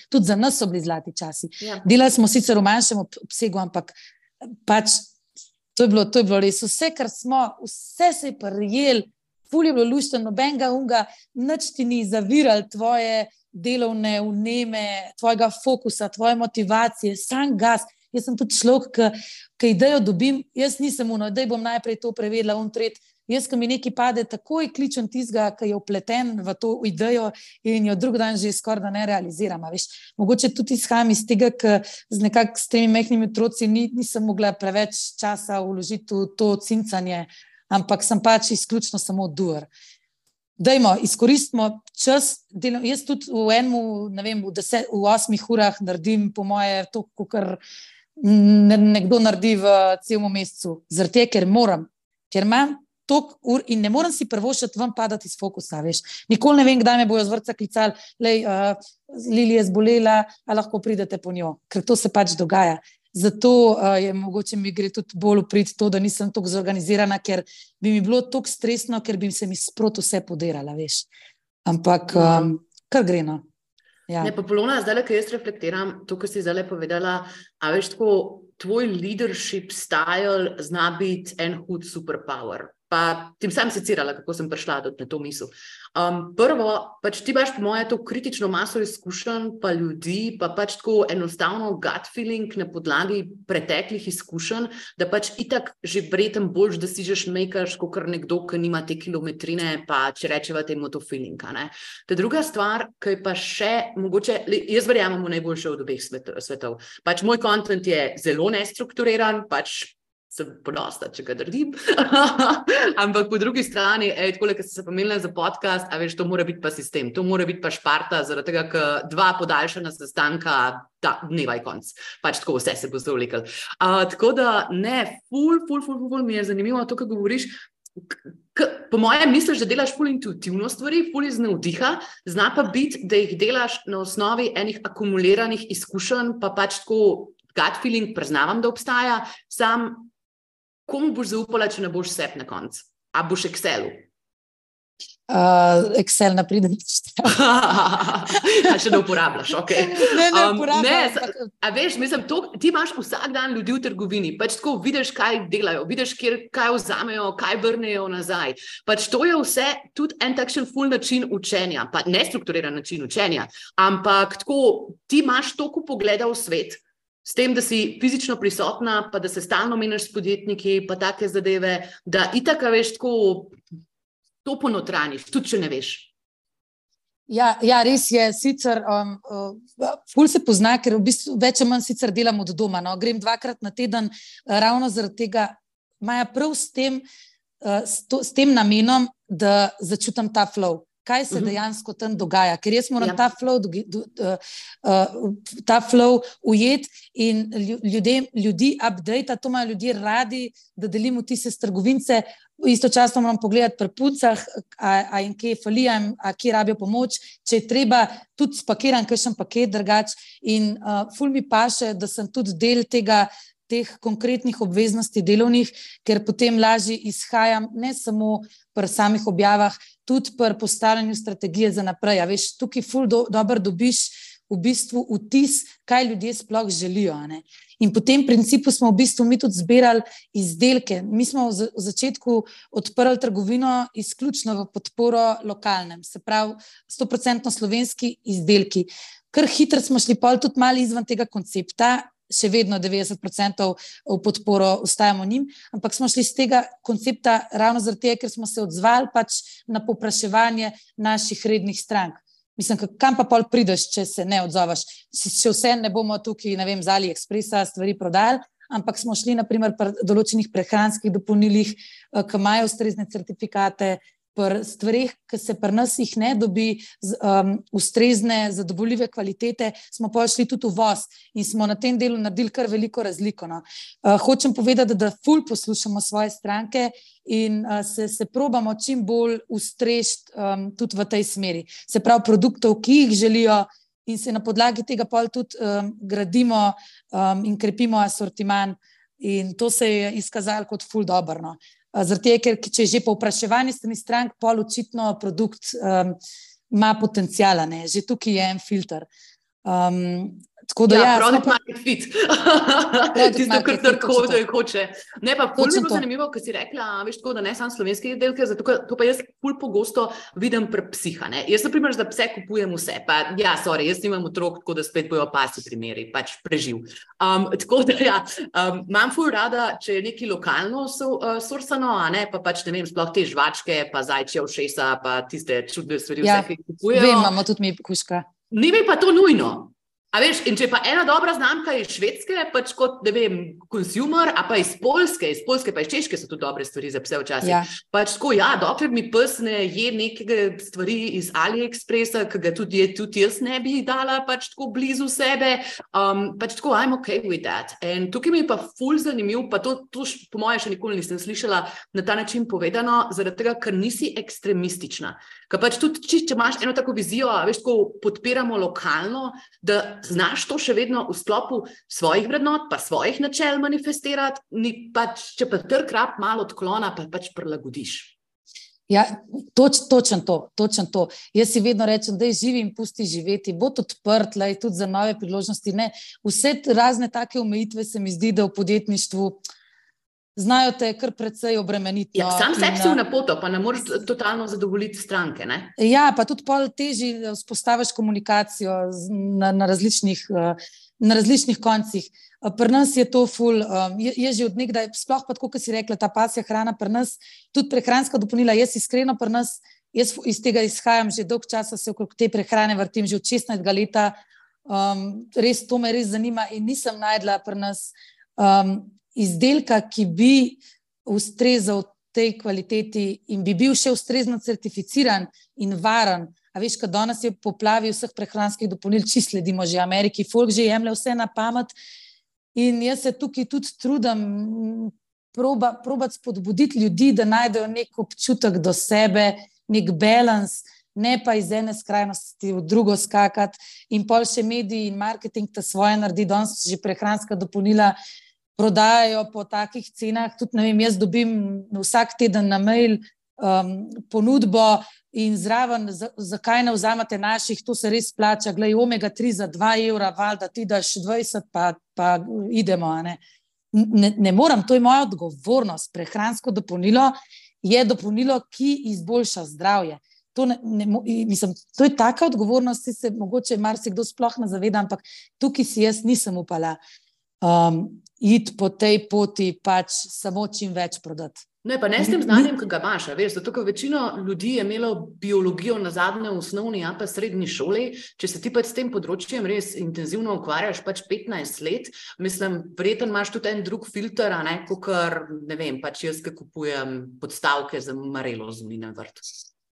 tudi za nas so bili zlati časi. Ja. Delali smo sicer v manjšem obsegu, ampak pač to je bilo res, vse se je prijel, ful je bilo luštno, nobenega unga, nič ti ni zaviral tvoje delovne vneme, tvojega fokusa, tvoje motivacije, sam gas. Jaz sem tudi človek, ki idejo dobim, jaz nisem daj bom najprej to prevedla, jaz, ko mi nekaj pade, takoj kličem tistega, ki je vpleten v to idejo in jo drug dan že skoraj da ne realiziram. Mogoče tudi izhajam iz tega, ker s temi majhnimi otroci nisem mogla preveč časa vložiti v to cincanje, ampak sem pač izključno samo doer. Dajmo, izkoristimo čas, jaz tudi v 8 urah naredim po moje to, kar nekdo naredi v celem mesecu, zaradi tega, ker imam toliko ur in ne morem si prvošati ven padati iz fokusa, veš. Nikoli ne vem, kdaj me bojo z vrtca klicali, Lili je zbolela, a lahko pridete po njo, ker to se pač dogaja. Zato mogoče mi gre tudi bolj v prid to, da nisem toliko zorganizirana, ker bi mi bilo toliko stresno, ker bi se mi sproti vse podirala, veš. Ampak kar gre, no. Ja. Ne, pa Polona, zdaj, ko jaz reflektiram to, kar si zdaj povedala, a veš tako, tvoj leadership style zna biti en hud superpower. pa tim sam secirala, kako sem prišla na to misel. Prvo, pač ti imaš po moje to kritično maso izkušenj, pa ljudi, pa pač tako enostavno gut feeling na podlagi preteklih izkušenj, da pač itak že verjetno boljš, da si že šmejkaš, kakor nekdo, ki nima te kilometrine, pa če rečeva temu to feeling, ne. Ta druga stvar, ki je pa še, mogoče, jaz verjamem v najboljše od obeh svetov. Pač moj content je zelo nestrukturiran, pač sem ponosna, če ga naredim. Ampak po drugi strani, takole, ko sem se pomenila za podcast, a veš, to mora biti pa sistem, to mora biti pa Šparta, zaradi tega, ker 2 podaljšana sestanka, dneva je konc. Pač tako vse se bo zavleklo. Tako da, ne, ful mi je zanimivo to, kar govoriš. Po mojem misliš, da delaš ful intuitivno stvari, ful iz navdiha, zna pa biti, da jih delaš na osnovi enih akumuliranih izkušenj, pa pač tako gut feeling priznavam, da obstaja, sam komu boš zaupala, če ne boš sep na konc? A boš Excelu? Excel ne pride nič. A še ne uporabljaš, ok. Ne uporabljam. A veš, mislim, ti imaš vsak dan ljudi v trgovini, pač tako vidiš, kaj delajo, vidiš, kaj vzamejo, kaj vrnejo nazaj. Pač to je vse tudi en takšen ful način učenja, pa nestrukturiran način učenja, ampak tako, ti imaš toliko pogleda v svet, s tem, da si fizično prisotna, pa da se stalno menjaš s podjetniki, pa take zadeve, da itak, veš, tako to ponotraniš, tudi če ne veš. Ja, res je, sicer ful se pozna, ker v bistvu več ali manj sicer delam od doma, no. Grem 2-krat na teden, ravno zaradi tega, Maja, prav s tem namenom, da začutam ta flow. Kaj se dejansko tam dogaja, ker jaz moram ta flow ujet in ljudi update, to imajo ljudje radi, da delim vtise s trgovince, istočasno moram pogledati pri puncah, a jim kje falija, a kje rabijo pomoč, če je treba, tudi spakiram kakšen paket drugač in ful mi paše, da sem tudi del teh konkretnih obveznosti delovnih, ker potem lažje izhajam ne samo pri samih objavah, tudi pri postavljanju strategije za naprej. A veš, tukaj ful dobro dobiš v bistvu vtis, kaj ljudje sploh želijo. Ne? In po tem principu smo v bistvu mi tudi zbirali izdelke. Mi smo v začetku odprli trgovino izključno v podporo lokalnem, se pravi 100% slovenski izdelki. Kar hitro smo šli pol tudi malo izven tega koncepta, še vedno 90% v podporo ostajamo njim, ampak smo šli z tega koncepta ravno zaradi tega, ker smo se odzvali pač na povpraševanje naših rednih strank. Mislim, kam pa pol prideš, če se ne odzoveš? Še vse ne bomo tukaj, ne vem, z AliExpressa stvari prodali, ampak smo šli naprimer pri določenih prehranskih dopolnilih, ki imajo ustrezne certifikate, pri stvareh, ki se pri nas jih ne dobi ustrezne, zadovoljive kvalitete, smo pa šli tudi v voz in smo na tem delu naredili kar veliko razliko. No. Hočem povedati, da ful poslušamo svoje stranke in se probamo čim bolj ustrežiti tudi v tej smeri. Se pravi produktov, ki jih želijo in se na podlagi tega pol tudi gradimo in krepimo asortiman in to se je izkazalo kot ful dobro. No. Zaradi tega, ker če je že povpraševanje strani strank, pol očitno produkt ima potenciala, ne? Že tukaj je en filter. Tako da product market fit. Tisto, kar tako hoče. Ne, pa ful mi bilo zanimivo, ko si rekla, veš tako, da ne samo slovenske izdelke, zato to pa jaz ful pogosto vidim pri psiha, ne. Jaz na primer za pse kupujem vse, pa jaz nimam otrok, tako da spet bojo pasi primeri, pač preživ. Tako da imam ful rada, če je nekaj lokalno sorsano, a ne, pa pač ne vem, sploh te žvačke, pa zajčje ušesa, pa tiste čudne stvari, vse, ki kupujejo. Vem, imamo tudi mi kuška. Ni mi pa to nujno. A veš, in če pa ena dobra znamka iz Švedske, pač kot, ne vem, consumer, a pa iz Poljske pa iz Češke so tudi dobre stvari za pse včasih. Ja. Pač tako, dokler mi pes ne je nekega stvari iz AliExpressa, ki ga tudi jaz ne bi dala pač tako blizu sebe, pač tako, I'm okay with that. In tukaj mi je pa ful zanimiv, pa to po moje še nikoli nisem slišala na ta način povedano, zaradi tega, ker nisi ekstremistična. Ker pač tudi, če imaš eno tako vizijo, veš, tako podpiramo lokalno, da znaš to še vedno v sklopu svojih vrednot, pa svojih načel manifestirati, če pa trg rab malo odklona, pa pač prilagodiš. Ja, točno to. Jaz si vedno rečem, da je živi in pusti živeti, bo odprt, tudi za nove priložnosti. Ne. Vse razne take omejitve se mi zdi, da v podjetništvu znajo te kar precej obremeniti. Ja, sam sebi si v napoto, pa ne moreš totalno zadovoljiti stranke, ne? Ja, pa tudi pol težji vzpostaviš komunikacijo na različnih koncih. Pri nas je to ful, je že od nekdaj, sploh pa tako, kot si rekla, ta pasja hrana pri nas, tudi prehranska dopolnila, jaz iskreno pri nas, jaz iz tega izhajam, že dolg časa se okrog te prehrane vrtim, že od 16 leta, res to me res zanima in nisem najdla pri nas izdelka, ki bi ustrezal tej kvaliteti in bi bil še ustrezno certificiran in varen. A veš, kad danes je poplavi vseh prehranskih dopolnil, čisto sledimo že Ameriki, folk že jemlje vse na pamet in jaz se tukaj tudi trudim probati spodbuditi ljudi, da najdejo nek občutek do sebe, nek balans, ne pa iz ene skrajnosti v drugo skakati in pol še mediji in marketing ta svoje naredi, danes že prehranska dopolnila prodajajo po takih cenah, tudi ne vem, jaz dobim vsak teden na mail ponudbo in zraven, zakaj ne vzamete naših, to se res plača, glej, omega-3 za 2 evra, valjda ti daš 20, pa idemo, ne. Ne moram, to je moja odgovornost. Prehransko dopolnilo je dopolnilo, ki izboljša zdravje. Mislim, to je taka odgovornost, ki se mogoče marsikdo sploh ne zaveda, ampak tukaj si jaz nisem upala iti po tej poti, pač samo čim več prodati. Ne, pa ne s tem znanjem, ki ga imaš, veš, zato, ker večino ljudi je imelo biologijo nazadnje v osnovni, pa srednji šoli, če se ti pač s tem področjem res intenzivno ukvarjaš pač 15 let, mislim, verjetno imaš tudi en drug filter, a ne, kakor, ne vem, pač jaz, ki kupujem podstavke za marelo z Mine vrt.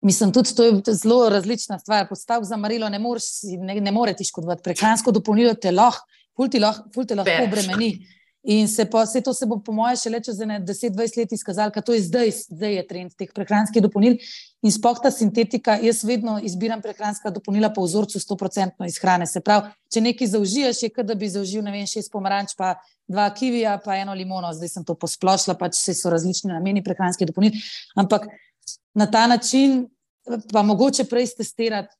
Mislim, tudi to je zelo različna stvar. Podstavk za marelo ne more ti škodovati. Prehransko dopolnilo te lahko, ful te lahko obremeni. In to se bo po moje šele čez 10-20 let izkazalo, ker to je zdaj je trend teh prehranskih dopolnil in sploh ta sintetika, jaz vedno izbiram prehranska dopolnila po vzorcu 100% iz hrane. Se pravi, če nekaj zaužiješ, je kot da bi zaužil, ne vem, 6 pomaranč, pa 2 kivija, pa 1 limono, zdaj sem to posplošila, pač so različni nameni prehranskih dopolnil, ampak na ta način pa mogoče prej testirati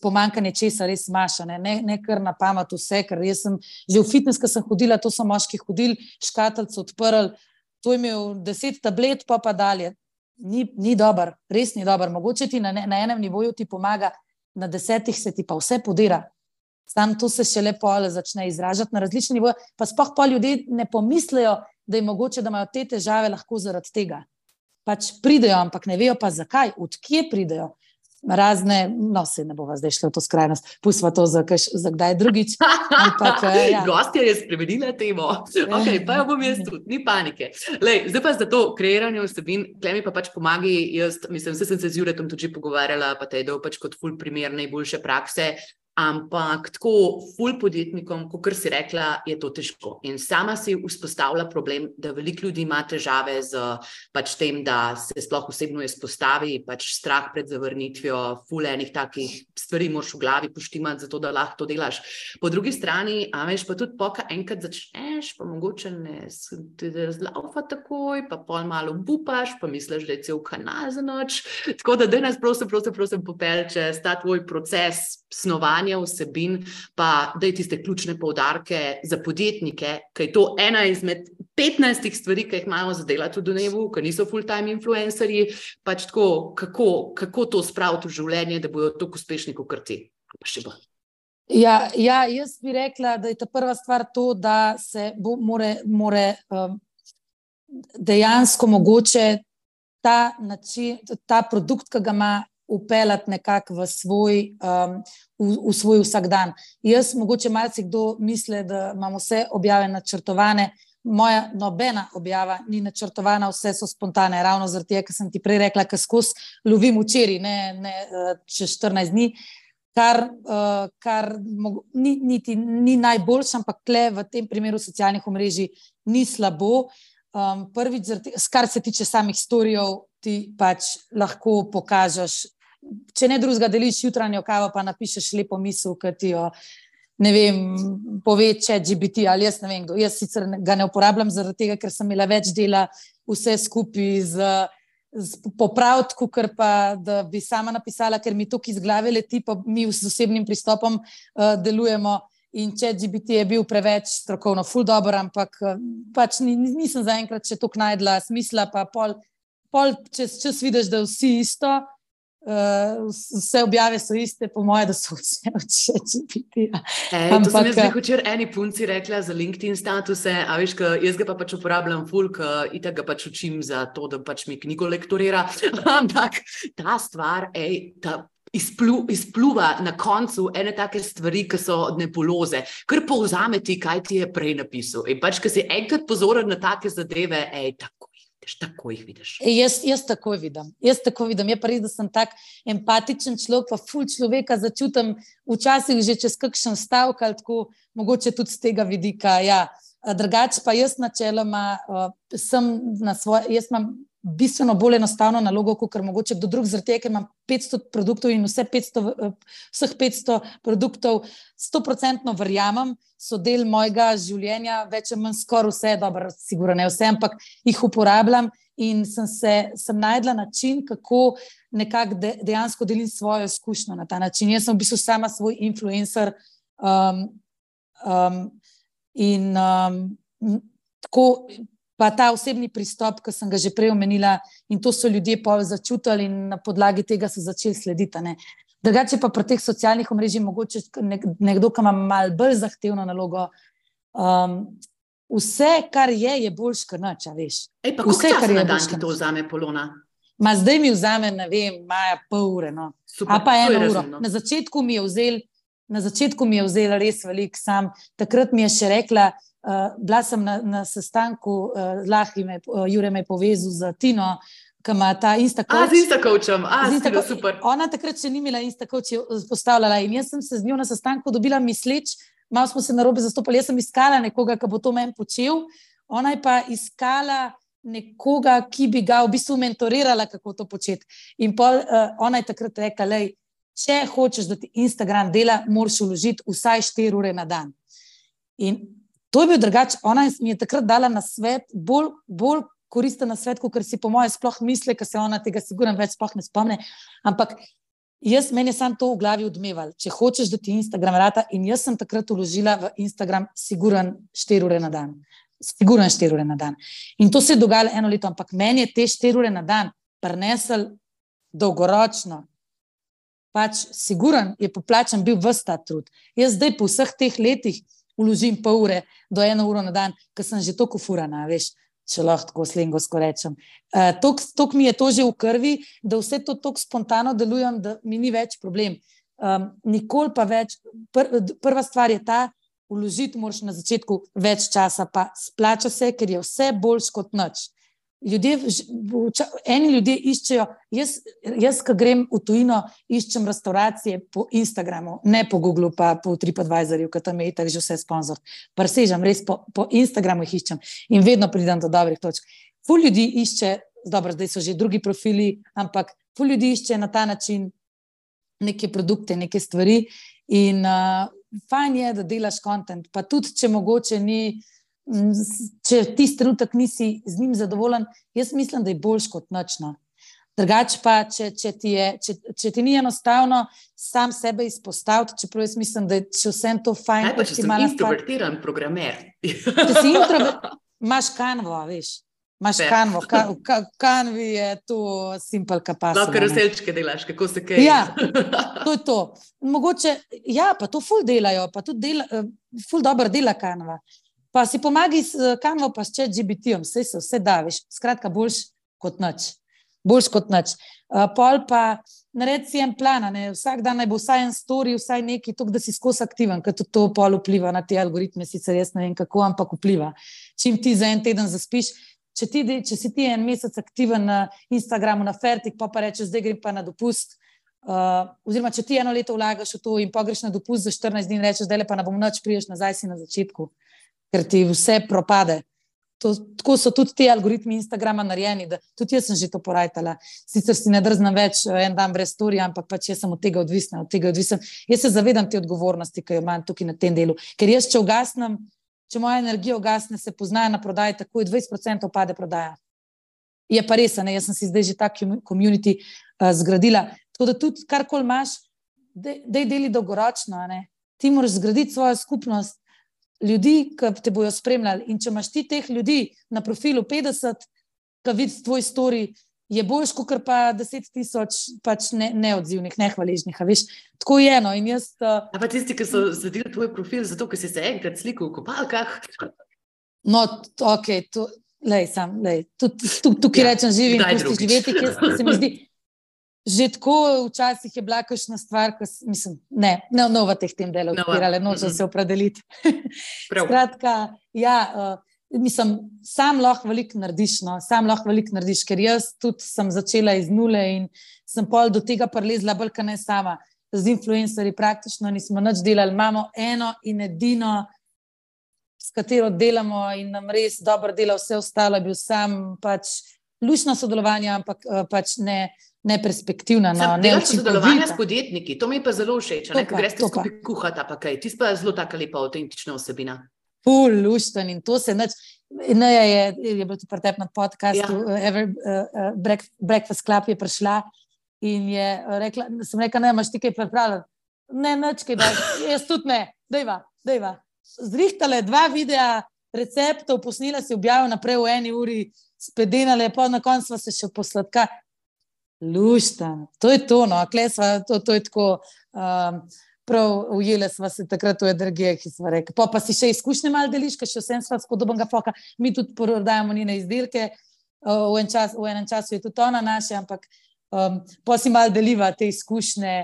pomanjkanje česa res maša, ne kar na pamet vse, ker jaz sem že v fitness, ko sem hodila, to so moški hodili, škatlico odprli, to je imel 10 tablet, pa dalje. Ni dober, res ni dober. Mogoče ti na enem nivoju ti pomaga, na 10 se ti pa vse podira. Sam to se šele pol začne izražati na različne nivoje, pa sploh pa ljudje ne pomislejo, da je mogoče, da imajo te težave lahko zaradi tega. Pač pridejo, ampak ne vejo pa zakaj, od kje pridejo. Razne, no se ne bova zdaj šla v to skrajnost, pustva to za kdaj drugič. Ja. Gostja je spremenila temo. Ok, pa jo bom jaz tudi, ni panike. Lej, zdaj pa za to kreiranje vsebin, tle mi pa pač pomagi, jaz mislim, vse sem se z Juretom tudi že pogovarjala, pa te je dal pač kot ful primer najboljše prakse, ampak tako ful podjetnikom, kakor si rekla, je to težko. In sama si vzpostavlja problem, da veliko ljudi ima težave z pač tem, da se sploh osebno izpostavi, pač strah pred zavrnitvijo, ful enih takih stvari moraš v glavi poštimati, zato da lahko to delaš. Po drugi strani, a veš, pa tudi poka enkrat začneš, pa mogoče ne ti razlaufa takoj, pa pol malo bupaš, pa misliš, da je cel kanal za noč. Tako da nas prosim popelj čez ta tvoj proces snovanja vsebin, pa daj tiste ključne poudarke za podjetnike, ker je to ena izmed 15 stvari, ki jih imamo za delati v dnevu, ker niso full-time influencerji, pač tako, kako to spraviti v življenje, da bodo tako uspešni, kot ti. Pa še bo. Ja, jaz bi rekla, da je ta prva stvar to, da se more dejansko mogoče ta produkt, ki ga ima, upeljati nekako v svoj vsakdan. Jaz mogoče marsikdo misli, da imam vse objave načrtovane, moja nobena objava ni načrtovana, vse so spontane, ravno zaradi tega, ker sem ti prej rekla, ker skozi lovim včeraj, ne čez 14 dni, kar ni najboljše, ampak tle v tem primeru socialnih omrežij ni slabo. Prvič, kar se tiče samih storijev, ti pač lahko pokažeš, če ne drugega deliš jutranjo kavo, pa napišeš lepo misel, ki ti jo, ne vem, pove ChatGPT ali jaz ne vem kdo. Jaz sicer ga ne uporabljam zaradi tega, ker sem imela več dela vse skupaj z popraviti, kakor pa da bi sama napisala, ker mi to iz glave leti, pa mi z osebnim pristopom delujemo in ChatGPT je bil preveč strokovno ful dober, ampak pač nisem zaenkrat še toliko najdla smisla, pa pol čez vidiš, da vsi isto, vse objave so iste, po moje, da so vse od ChatGPT-ja. To sem jaz včeraj eni punci rekla za LinkedIn statuse, a veš, jaz ga pa pač uporabljam ful, itak ga pač učim za to, da pač mi knjigo lektorira, ampak ta stvar, izpluva na koncu ene take stvari, ki so nebuloze, ker povzame ti, kaj ti je prej napisal. In pač, ko si enkrat pozoren na take zadeve, tako jih vidiš. Jaz tako vidim. Je pa res, da sem tak empatičen človek, pa ful človeka začutim včasih že čez kakšen stavek, ali tako, mogoče tudi z tega vidika. Ja. Drugače pa jaz načeloma jaz imam bistveno bolj enostavno nalogo, kot mogoče kdo drug, zaradi tega, ker imam 500 produktov in vseh 500 produktov 100% verjamem, so del mojega življenja, več ali manj skoraj vse, dobro, sigurno ne vse, ampak jih uporabljam in sem najdla način, kako nekako dejansko delim svojo izkušnjo na ta način. Jaz sem v bistvu sama svoj influencer in tako. Pa ta osebni pristop, ki sem ga že prej omenila, in to so ljudje pol začutili in na podlagi tega so začeli slediti. Drugače pa pri teh socialnih omrežjih mogoče nekdo, ki ima malo bolj zahtevno nalogo, vse, kar je boljš, kar nič, veš. Pa koliko časa na dan ti to vzame, Polona? Zdaj mi vzame, ne vem, pol ure, no. Super, pa 1 uro. razumno. Na začetku mi je vzel res veliko, takrat mi je še rekla, bila sem na sestanku z Lahi, Jure me je povezal z Tino, ki ima ta Instacoach. Z Instacoachom, super. Ona takrat še ni imela Instacoach postavljala in jaz sem se z njo na sestanku dobila misleč, malo smo se narobe zastopali, jaz sem iskala nekoga, ki bo to meni počel, ona je pa iskala nekoga, ki bi ga v bistvu mentorirala, kako to početi. In ona je takrat rekla, če hočeš, da ti Instagram dela, moraš vložiti vsaj 4 ure na dan. In to je bil drugače, ona mi je takrat dala na svet, bolj koristen na svet, kot si po moje sploh misli, ker se ona tega sigurno več sploh ne spomne, ampak meni je samo to v glavi odmeval, če hočeš, da ti Instagram rata, in jaz sem takrat vložila v Instagram sigurno 4 ure na dan. Sigurno 4 ure na dan. In to se je dogajalo 1 leto, ampak meni je te 4 ure na dan prinesel dolgoročno, pač sigurno je poplačan bil ves ta trud. Jaz zdaj po vseh teh letih vložim pol ure do 1 uro na dan, ker sem že toliko furana, veš, če lahko tako slengovsko rečem. Toliko mi je to že v krvi, da vse to toliko spontano delujem, da mi ni več problem. Nikoli pa več, prva stvar je ta, vložiti moraš na začetku več časa, pa splača se, ker je vse boljš kot nič. Eni ljudje iščejo, jaz, ko grem v tujino, iščem restauracije po Instagramu, ne po Googlu, pa po TripAdvisorju, ker tam je itak že vse sponzor. Presežem, res po Instagramu jih iščem in vedno pridem do dobrih točk. Ful ljudi išče, dobro, zdaj so že drugi profili, ampak ful ljudi išče na ta način neke produkte, neke stvari in fajn je, da delaš content, pa tudi, če mogoče ni, če tisti trenutek nisi z njim zadovoljen, jaz mislim, da je boljš kot nič. Drugače pa, če ti ni enostavno sam sebe izpostaviti, čeprav jaz mislim, da je še vsem to fajn. Pa če sem introvertiran programer. Če si imaš Canvo, veš. Imaš Canvo, Canvi je to simple capacity. Lahko razdelčke delaš, kako se kaj. Ja, to je to. Mogoče, pa to ful delajo, pa tudi ful dobro dela Canva. Pa si pomagi s Canvo, pa s ChatGPT-om, vse daviš, skratka boljš kot nič. Pol pa naredi si en plan, vsak dan naj bo vsaj en story, vsaj neki, da si skozi aktiven, ker tudi to pol vpliva na te algoritme, sicer jaz ne vem kako, ampak vpliva. Čim ti za en teden zaspiš, če si ti en mesec aktiven na Instagramu, na Fertik, pa rečeš, zdaj grem pa na dopust, oziroma če ti 1 leto vlagaš v to in pa greš na dopust za 14 dni in rečeš, zdaj pa ne bom nič, priješ nazaj si na začetku, ker ti vse propade. Tako so tudi ti algoritmi Instagrama narejeni, da tudi jaz sem že to porajtala. Sicer si ne drznem več en dan brez storija, ampak pač jaz sem od tega odvisna. Jaz se zavedam te odgovornosti, ki jo imam tukaj na tem delu. Ker jaz, če moja energija ugasne, se poznajo na prodaji, takoj 20% pade prodaja. Je pa res, jaz sem si zdaj že tak community zgradila. Tako da tudi karkoli imaš, dej deli dolgoročno, ti moraš zgraditi svojo skupnost ljudi, ki te bojo spremljali. In če imaš ti teh ljudi na profilu 50, ki vidi tvoj story, je boljš, kot pa 10,000 pač neodzivnih, nehvaležnih, a veš. Tako je, no, in jaz... A pa tisti, ki so sledili tvoj profil, zato, ker si se enkrat slikal v kopalkah? No, okej, tukaj rečem živim, pusti živeti, ker se mi zdi, že tako včasih je bila kakšna stvar, mislim, ne v teh tem delu odpirale, nočem se opredeliti. Skratka, ja, mislim, sam lahko veliko narediš, ker jaz tudi sem začela iz nule in sem pol do tega prilezla bolj, kot ne sama. Z influencerji praktično nismo nič delali. Imamo eno in edino, s katero delamo in nam res dobro dela, vse ostalo je bil sam pač lušno sodelovanje, ampak pač neperspektivna, neučinkovita. Sodelovanje s podjetniki, to mi je pa zelo všeč, ko greste skupaj kuhati, pa kaj. Ti pa zelo taka lepa, avtentična osebina. Ful, lušten in to se nič. Neja je bil tu pretep na podcastu, Breakfast Club je prišla in je rekla, sem rekla, ne, imaš ti kaj pripravljati? Ne, nič kaj, jaz tudi ne, dejva. Zrihtale 2 videa receptov, posnila si, objavila naprej v 1 uri, spedenale, pa na koncu sva se še posladka. Lušten, to je to, no, klesva, to je tako... Prav ujele sva se takrat v energije, ki sva rekla. Pa si še izkušnje malo deliš, ker še vsem sva spodobnega foka. Mi tudi prodajamo njene izdelke, v enem času je tudi ona naše, ampak pa si malo deliva te izkušnje,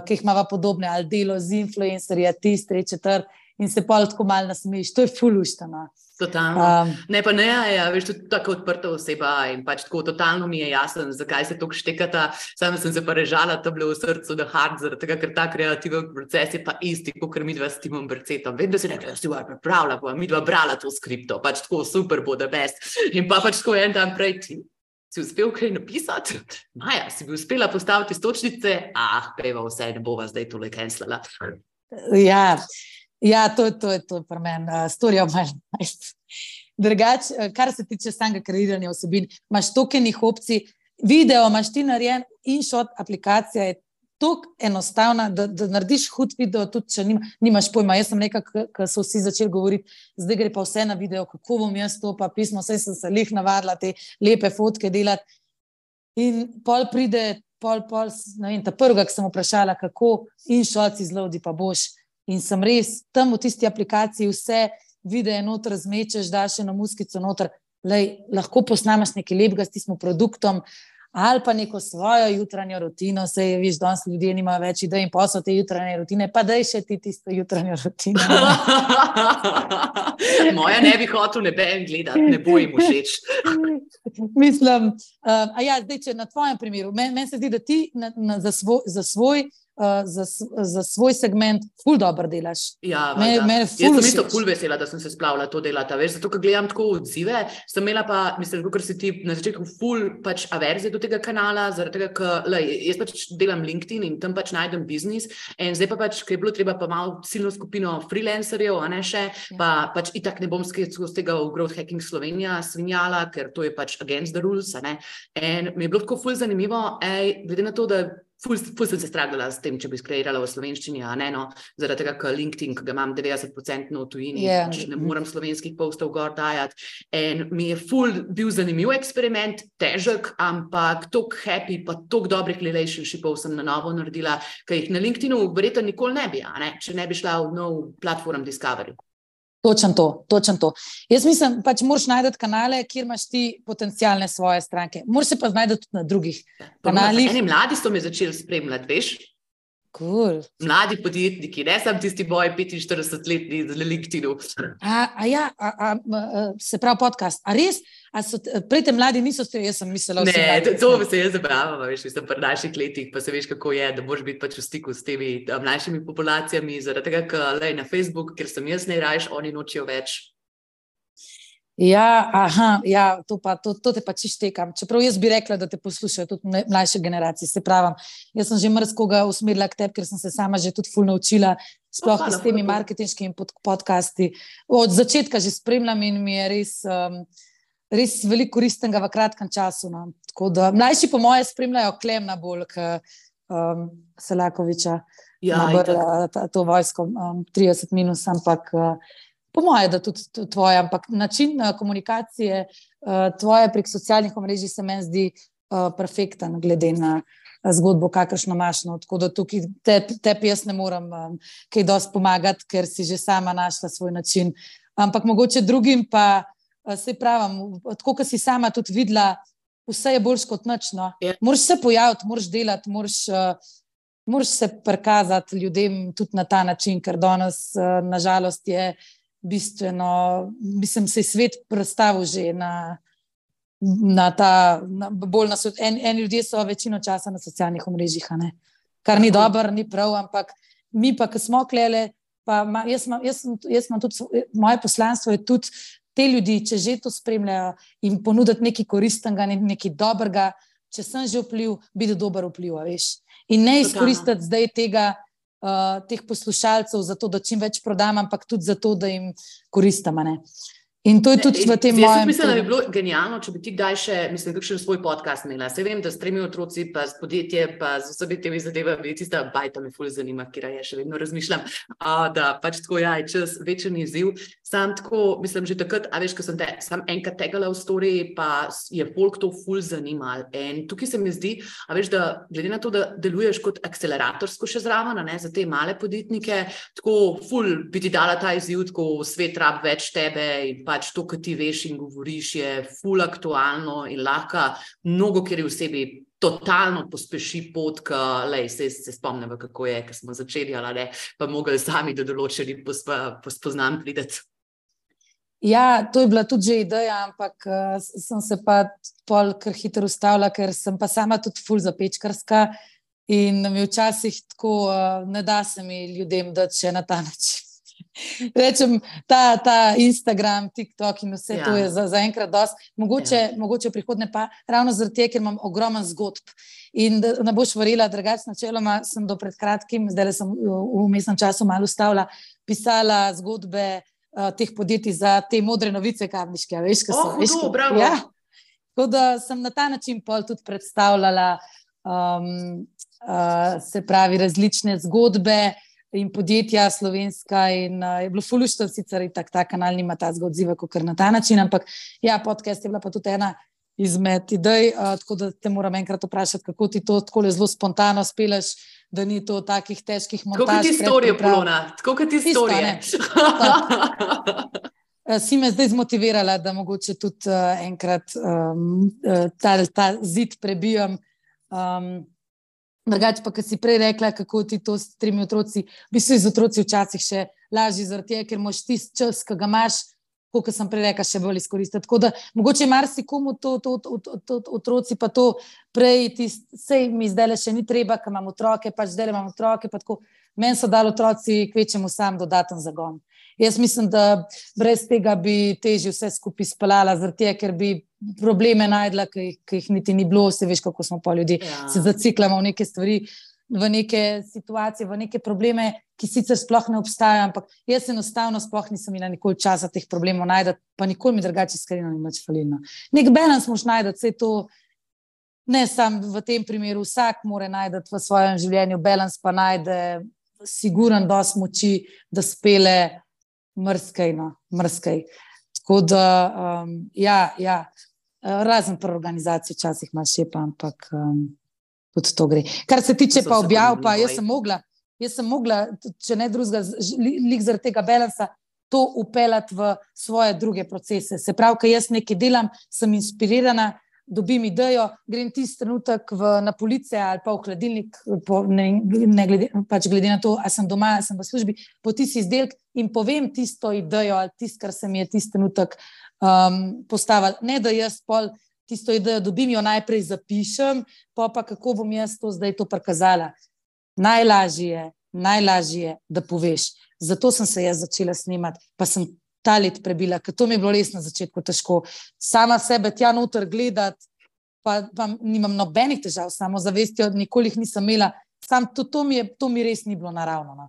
ki jih imava podobne, ali delo z influencerji, tist, 3, 4 in se pol tako malo nasmejiš. To je ful luštano. Totalno. Ne, pa ne, veš, tudi tako odprta oseba in pač tako totalno mi je jasno, zakaj se toliko štekata. Sama sem se pa režala, to bilo v srcu da hard, zaradi tega, ker ta kreativen proces je pa isti, kot midva s Timom Bercetom. Vem, da si nekaj pripravila, pa midva brala to skripto, pač tako super bo the best. In pa pač tako en dan prej ti si uspel kaj napisati? Maja, si bi uspela postaviti stočnice? Peva vse, ne bova zdaj tole cancelala. Ja, to je to pri meni, story of my life. Drugač, kar se tiče samega kreiranja vsebin, imaš tokenih opcij, video imaš ti narejen, InShot aplikacija je toliko enostavna, da narediš hud video, tudi če nimaš pojma. Jaz sem nekaj, ko so vsi začeli govoriti, zdaj gre pa vse na video, kako bom jaz to pa pismo, saj sem se lih navadila te lepe fotke delati. In pol pride, ne vem, ta prvega, ki sem vprašala, kako InShot izloadi pa boš. In sem res tam v tisti aplikaciji vse videe noter zmečeš, daš eno muskico noter, lahko posnamaš nekaj lepega s tistim produktom ali pa neko svojo jutranjo rutino, saj viš, danes ljudje nimajo več idej in posel te jutranje rutine, pa daj še ti tisto jutranjo rutino. Moja ne bi hotel neben gledati, ne bo jim všeč. Mislim, zdaj, če na tvojem primeru, meni se zdi, da ti za svoj segment ful dobro delaš. Ja, jaz sem isto ful vesela, da sem se splavila to delata, veš, zato, ker gledam tako odzive, sem imela pa, mislim, ker si ti na začetku ful pač averzije do tega kanala, zaradi tega, ker jaz pač delam LinkedIn in tam pač najdem biznis in zdaj pa pač, ker je bilo treba pa malo silno skupino freelancerjev, a ne še, pa pač itak ne bom skozi tega v Growth Hacking Slovenija svinjala, ker to je pač against the rules, a ne, in mi je bilo tako ful zanimivo, glede na to, da ful sem se stragala s tem, če bi skreirala v slovenščini, a ne, no, zaradi tega, ker LinkedIn, ki ga imam 90% v tujini, pač ne moram slovenskih postov gor dajati. In mi je ful bil zanimiv eksperiment, težek, ampak toliko happy, pa toliko dobrih relationshipov sem na novo naredila, ki jih na LinkedInu verjetno nikoli ne bi, a ne, če ne bi šla v nov platform Discovery. Točno to. Jaz mislim, pač moraš najti kanale, kjer imaš ti potencialne svoje stranke. Moraš se pa znajti tudi na drugih kanalih. Eni mladi so me začeli spremljati, veš? Cool. Mladi podjetniki, ne sam tisti boj 45-letni z LinkedInu. Se pravi podcast. A res? Prej te mladi niso ste, jaz sem mislila vsi mladi. Ne, to se jaz zabravam, veš, mislim, pri naših letih, pa se veš, kako je, da moraš biti pač v stiku s temi mlajšimi populacijami, zaradi tega, ker na Facebook, ker sem jaz najrajš, oni nočijo več. To te pa čištekam. Čeprav jaz bi rekla, da te poslušajo tudi mlajše generacije, se pravim. Jaz sem že mrzkoga usmerila k tebi, ker sem se sama že tudi ful naučila, sploh s temi marketinškimi podcasti. Od začetka že spremljam in mi je res veliko koristnega v kratkem času. No. Tako da mlajši po moje spremljajo Klemna bolj, Selakoviča, Ja, to vojsko 30 minus, ampak po moje, da tudi tvoje, ampak način komunikacije tvoje prek socialnih omrežij se meni zdi perfekten, glede na zgodbo, kakršno imaš. No. Tako da tukaj tebi jaz ne morem kaj dosti pomagati, ker si že sama našla svoj način. Ampak mogoče drugim pa, saj pravim, tako, kot si sama tudi videla, vse je boljš kot nič. No. Moraš se pojaviti, moraš delati, moraš se prikazati ljudem tudi na ta način, ker danes, nažalost, je bistveno, mislim, se je svet predstavil že na ta, bolj na svet. En ljudje so večino časa na socialnih omrežjih, kar ni dobro, ni prav, ampak mi pa, ki smo klele, pa jaz imam tudi, moje poslanstvo je tudi te ljudi, če že to spremljajo, in ponuditi nekaj koristnega, nekaj dobrega, če sem že vpliv, biti dober vpliv, veš. In ne izkoristiti zdaj teh poslušalcev zato, da čim več prodam, ampak tudi zato, da jim koristam, ne. In to je tudi v tem mojem... Jaz mislim, da bi bilo genialno, če bi ti kdaj še, mislim, kakšen svoj podcast imela. Se vem, da s 3 otroci, pa s podjetje, pa z vsemi temi zadevami, tista bajta me ful zanima, kira je, še vedno razmišljam, da pač tako, ja, je čas večen izziv. Sam tako, mislim, že takrat, a veš, ko sem te sam enkrat tegala v story, pa je folk to ful zanimal. In tukaj se mi zdi, a veš, da glede na to, da deluješ kot akceleratorsko še zraven, ne, za te male podjetnike, tako ful bi ti dala ta izziv, tako svet rab več tebe in pač to, kar ti veš in govoriš, je ful aktualno in lahko mnogo, ker je v sebi totalno pospeši pot, se spomnimo, kako je, ker smo začeli, ali pa mogli sami do določenih spoznanj prideti. Ja, to je bila tudi že ideja, ampak sem se pa pol kar hitro ustavila, ker sem pa sama tudi ful zapečkarska in mi včasih tako ne da se mi ljudem dati še na ta način. Rečem, ta Instagram, TikTok in vse to je za enkrat dosti. Mogoče v prihodnje pa ravno zaradi tega, ker imam ogromen zgodb. In da ne boš verjela, drugače načeloma sem do pred kratkim, zdaj sem v vmesnem času malo ustavila, pisala zgodbe teh podjetij za te modre novice kamniške. Veš, hudo, bravo. Ja, tako da sem na ta način pol tudi predstavljala se pravi različne zgodbe in podjetja slovenska in je bilo fuluštvo, sicer ta kanal nima tazga odziva, kot na ta način, ampak ja, podcast je bila pa tudi ena izmed idej, tako da te moram enkrat vprašati, kako ti to tako zelo spontano speleš, da ni to takih težkih montaž. Tako kot ti storije, Polona, tako kot ti storije. Si me zdaj zmotivirala, da mogoče tudi enkrat ta zid prebijam. Drugače pa, ko si prej rekla, kako ti to s 3 otroci, v bistvu z otroci včasih še lažje zaradi tega, ker moš tisti čas, ki ga imaš, kot sem prej rekla, še bolj izkoristiti. Tako da mogoče marsikomu to otroci pa to prej, sej mi zdaj še ni treba, ker imam otroke, pač zdaj imam otroke, pa tako, meni so dali otroci kvečemu sam dodaten zagon. Jaz mislim, da brez tega bi težje vse skupaj speljala, zaradi tega, ker bi probleme najdla, ki jih niti ni bilo, se veš, kako smo pa ljudje, se zaciklamo v neke stvari, v neke situacije, v neke probleme, ki sicer sploh ne obstajajo, ampak jaz enostavno sploh nisem imela nikoli časa teh problemov najdati, pa nikoli mi drugače iskreno ni nič falilo. Nek balans moš najdati, saj to ne samo v tem primeru, vsak mora najdati v svojem življenju balans, pa najde siguren dosti moči, da spele mrskaj. Tako da, ja, razen pri organizaciji včasih imaš še pa, ampak tudi to gre. Kar se tiče pa objav, pa jaz sem mogla, če ne drugega, lik zaradi tega balansa, to upeljati v svoje druge procese. Se pravi, ko jaz nekaj delam, sem inspirirana, dobim idejo, grem tisti trenutek na police ali pa v hladilnik, pač glede na to, a sem doma, a sem v službi, po tisti izdelek in povem tisto idejo ali tisto, kar se mi je tisti trenutek postavil. Ne, da jaz pol tisto idejo dobim, jo najprej zapišem, pa kako bom jaz to zdaj to prikazala. Najlažje je, da poveš. Zato sem se jaz začela snemati, pa sem ta let prebila, ker to mi je bilo res na začetku težko. Sama sebe tja noter gledati, pa nimam nobenih težav, samo zavestjo, nikoli jih nisem imela, sam to mi res ni bilo naravno. No.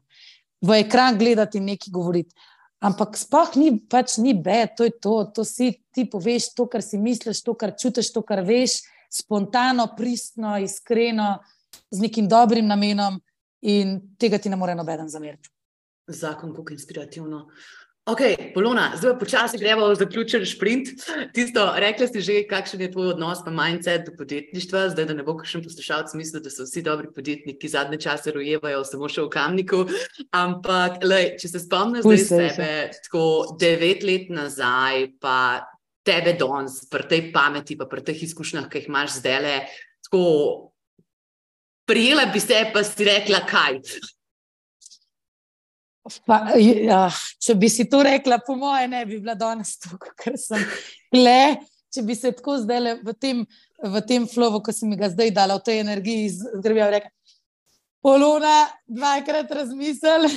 V ekran gledati in nekaj govoriti. Ampak sploh ni bed, to je to si ti poveš to, kar si misliš, to, kar čutiš, to, kar veš, spontano, pristno, iskreno, z nekim dobrim namenom in tega ti ne more nobeden zameriti. Zakon, kako inspirativno. Ok, Polona, zdaj počasi gremo v zaključen šprint. Rekla si že, kakšen je tvoj odnos pa mindset do podjetništva, zdaj, da ne bo kakšen poslušalec mislil, da so vsi dobri podjetniki zadnje čase rojevajo samo še v Kamniku, ampak, če se spomniš zdaj sebe, tako 9 let nazaj, pa tebe danes, pri tej pameti, pa pri teh izkušnjah, ki jih imaš zdajle, tako prijela bi se, pa si rekla, kaj? Če bi si to rekla, po moje ne bi bila danes tukaj, ker sem le, če bi se tako zdaj v tem flowu, ko si mi ga zdaj dala, v tej energiji, zgrebila rekla, Polona, 2-krat razmisel.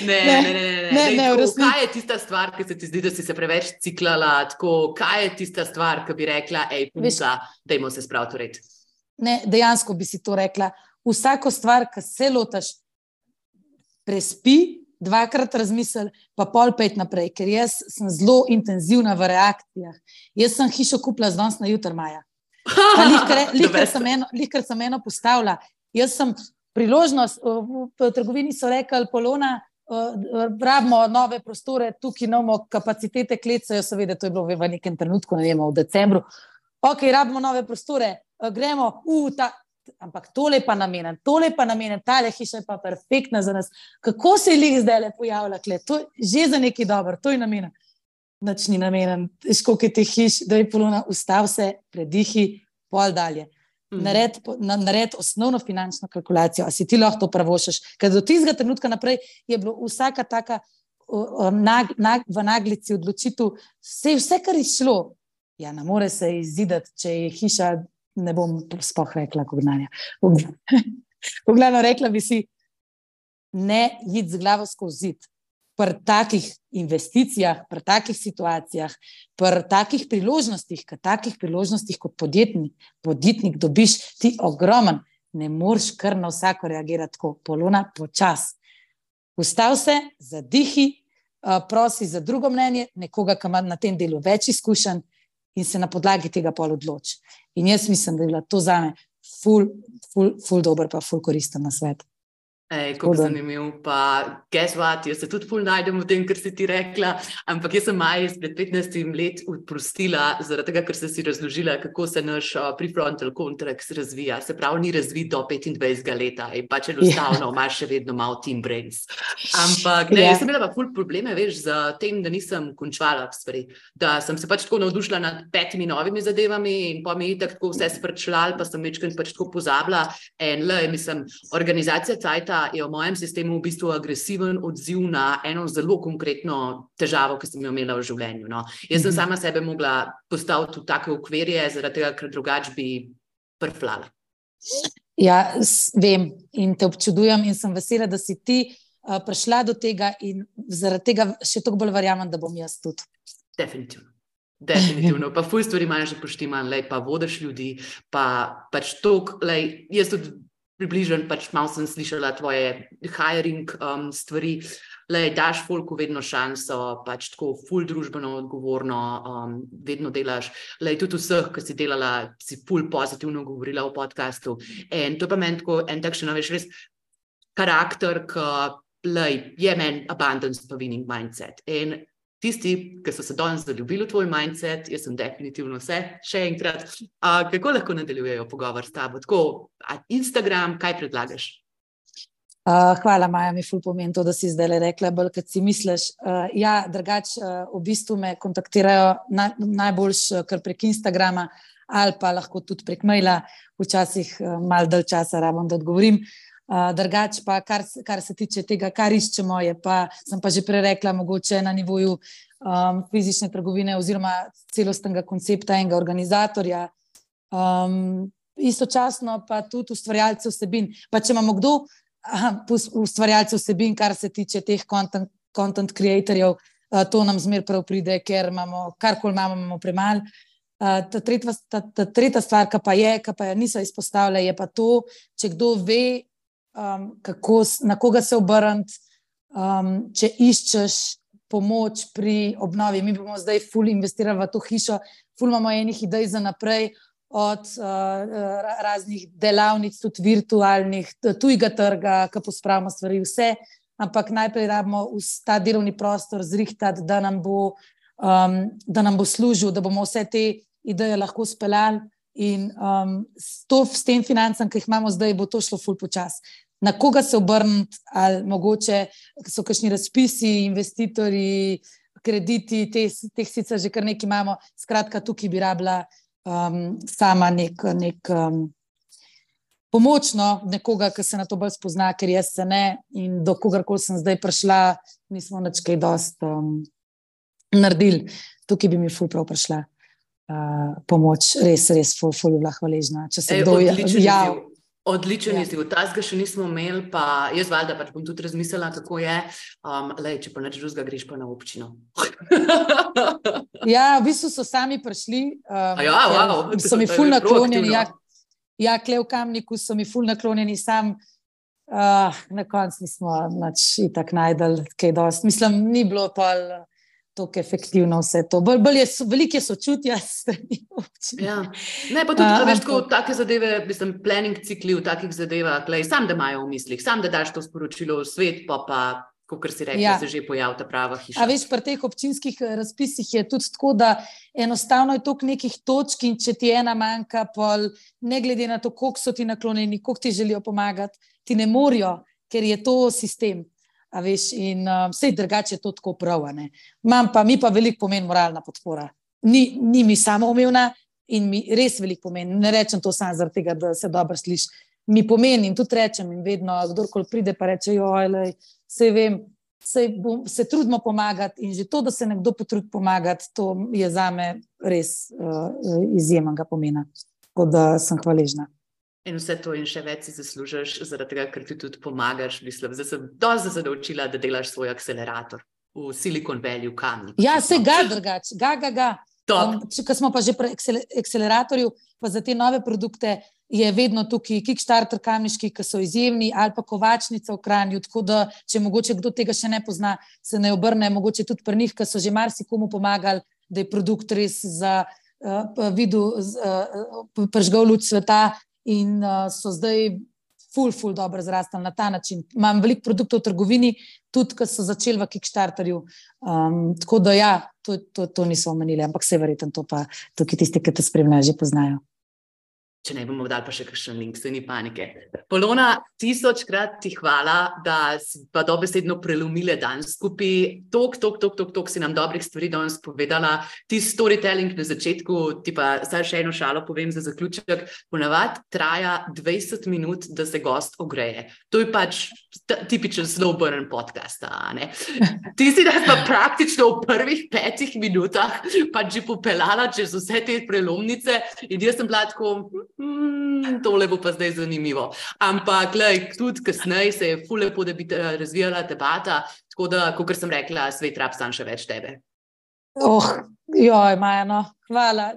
Ne, kaj je tista stvar, ki se ti zdi, da si se preveč ciklala, tako, kaj je tista stvar, ki bi rekla, punca, dajmo se spraviti v red? Ne, dejansko bi si to rekla. Vsako stvar, ki se lotaš, prespi, 2-krat razmisel, pa pol 5 naprej, ker jaz sem zelo intenzivna v reakcijah. Jaz sem hišo kupila z danes na jutr, Maja. Lihkar sem eno postavila. Jaz sem priložnost, v trgovini so rekli, Polona, rabimo nove prostore, tukaj imamo kapacitete klecajo, seveda, to je bilo v nekem trenutku, ne vemo, v decembru. Ok, rabimo nove prostore, gremo, ampak tole pa namenjen, tale hiša je pa perfektna za nas. Kako se je lih zdaj pojavila, to je že za nekaj dobro, to je namenjen. Nič ni namenjen, koliko je teh hiš, da je Polona, ustav se, predihi, pol dalje. Nared osnovno finančno kalkulacijo, a si ti lahko to pravošaš, ker do tistega trenutka naprej je bilo vsaka taka v naglici odločitev, vse, kar je šlo, ja, ne more se izidati, če je hiša, ne bom sploh rekla, kognanja. V glavno rekla bi si, ne iti z glavo skozi zid. Pri takih investicijah, pri takih situacijah, pri takih priložnostih kot podjetnik dobiš ti ogromen, ne moreš kar na vsako reagirati tako. Polona, počas. Ustav se, zadihi, prosi za drugo mnenje, nekoga, ki ima na tem delu več izkušenj in se na podlagi tega pol odloči. In jaz mislim, da je bila to zame ful dober pa ful koristen na svet. Kako zanimiv, pa guess what, jaz se tudi ful najdem v tem, kar si ti rekla, ampak jaz sem Maji pred 15 let odprostila, zaradi tega, ker si razložila, kako se naš prefrontal cortex razvija, se pravi, ni razvit do 25 leta in pač enostavno imaš še vedno malo team brains. Ampak ne, jaz sem imela pa ful probleme, veš, z tem, da nisem končala stvari, da sem se pač tako navdušila nad 5 novimi zadevami in pa mi tako vse sprčlal, pa sem večkrat pač tako pozabila in mislim, organizacija Cajta je v mojem sistemu v bistvu agresiven odziv na eno zelo konkretno težavo, ki sem jo imela v življenju. No. Jaz sem sama sebe mogla postaviti v take okvirje, zaradi tega, ker drugače bi prflala. Ja, vem in te občudujem in sem vesela, da si ti prišla do tega in zaradi tega še toliko bolj verjamem, da bom jaz tudi. Definitivno. Pa ful stvari imaš že poštiman, pa vodiš ljudi, pa pač toliko, jaz tudi približen, pač malo sem slišala tvoje hiring stvari, daš folku vedno šanso, pač tako ful družbeno odgovorno, vedno delaš, tudi vseh, ki si delala, si ful pozitivno govorila v podcastu in to pa meni tako en takšen, veš, res karakter, ki je meni abundance pa winning mindset in tisti, ki so se danes zaljubili v tvoj mindset, jaz sem definitivno vse, še enkrat, kako lahko nadaljujejo pogovor s tabo? Tako, Instagram, kaj predlagaš? Hvala, Maja, mi ful pomeni to, da si zdaj rekla, bolj, kad si misliš. Ja, drugače, v bistvu me kontaktirajo najboljš kar prek Instagrama ali pa lahko tudi prek maila, včasih malo dalj časa rabim, da odgovorim. Drugače pa, kar se tiče tega, kar iščemo, je pa, sem pa že prerekla, mogoče na nivoju fizične trgovine oziroma celostnega koncepta enega organizatorja. Istočasno pa tudi ustvarjalce vsebin. Pa če imamo kdo ustvarjalce vsebin, kar se tiče teh content creatorjev, to nam zmer prav pride, ker imamo, karkoli imamo premalo. Ta tretja stvar, ki pa je niso izpostavile, je pa to, če kdo ve, na koga se obrniti, če iščeš pomoč pri obnovi. Mi bomo zdaj ful investirali v to hišo, ful imamo enih idej za naprej, od raznih delavnic, tudi virtualnih, tujega trga, ki pospravimo stvari, vse, ampak najprej rabimo ta delovni prostor zrihtati, da nam bo služil, da bomo vse te ideje lahko speljali in s tem financam, ki jih imamo zdaj, bo to šlo ful počas. Na koga se obrniti, ali mogoče so kakšni razpisi, investitorji, krediti, teh sicer že kar nekaj imamo, skratka tukaj bi rabila sama nek pomočno nekoga, ki se na to bolj spozna, ker jaz se ne in do kogarkoli sem zdaj prišla, nismo nič kaj dosti naredili. Tukaj bi mi ful prav prišla pomoč, res ful bila hvaležna. Če se kdo jav. Odličen izziv, tazga še nismo imeli, pa jaz valjda pač bom tudi razmislila, kako je, če pa nič drugega greš pa na občino. Ja, v bistvu so sami prišli, so mi ful naklonjeni, kle v Kamniku so mi ful naklonjeni, sam na koncu nismo nič itak najdel, kaj dosti. Mislim, ni bilo pa tako efektivno vse to. Veliko je sočutja strani občine. Ja. Ne, pa tudi, veš, tako take zadeve, mislim, planning cikli v takih zadevah, sam da imajo v mislih, sam da daš to sporočilo v svet, pa kakor si rekla, se že pojavi ta prava hiša. A veš, pri teh občinskih razpisih je tudi tako, da enostavno je toliko nekih točk in če ti ena manjka, pol, ne glede na to, koliko so ti naklonjeni, koliko ti želijo pomagati, ti ne morijo, ker je to sistem. A veš, in vse drugače je to tako prav, ne. Mi pa veliko pomeni moralna podpora. Ni mi samoumevna in mi res veliko pomeni. Ne rečem to samo zaradi tega, da se dobro sliši. Mi pomeni in tudi rečem in vedno, kdorkoli pride pa reče, saj vem, se trudimo pomagati in že to, da se nekdo potrudi pomagati, to je zame res izjemnega pomena. Tako da sem hvaležna. In vse to in še več si zaslužiš, zaradi tega, ker ti tudi pomagaš. Mislim, zdaj sem dosti zadovoljila, da delaš svoj akcelerator v Silicon Valley v Kamniku. Ja, se ga drugače, ga. Ko smo pa že pri akceleratorju, pa za te nove produkte je vedno tukaj Kickstarter Kamniški, ki so izjemni, ali pa Kovačnica v Kranju, tako da, če mogoče kdo tega še ne pozna, se ne obrne, mogoče tudi pri njih, ki so že marsikomu pomagali, da je produkt res prižgal luč sveta. In so zdaj ful dobro zrastali na ta način. Imam veliko produktov v trgovini, tudi, ki so začeli v Kickstarterju. Tako da ja, to niso omenili, ampak se verjetno to pa tukaj tisti, ki te spremljajo, že poznajo. Če ne bomo dali pa še kakšen link, se ni panike. Polona, 1000-krat ti hvala, da si pa dobesedno prelomile dan skupaj. Tok si nam dobrih stvari danes povedala. Ti storytelling na začetku, ti pa zdaj še eno šalo povem za zaključek, ponavadi traja 20 minut, da se gost ogreje. To je pač tipičen slow burn podcast, ne? Ti si nas pa praktično v prvih 5 minutah pač že popeljala čez vse te prelomnice in jaz sem bila tako, tole bo pa zdaj zanimivo. Ampak, tudi kasneje se je ful lepo, da bi razvijala debata, tako da, kakor sem rekla, svet rab sam še več tebe. Maja, no, hvala,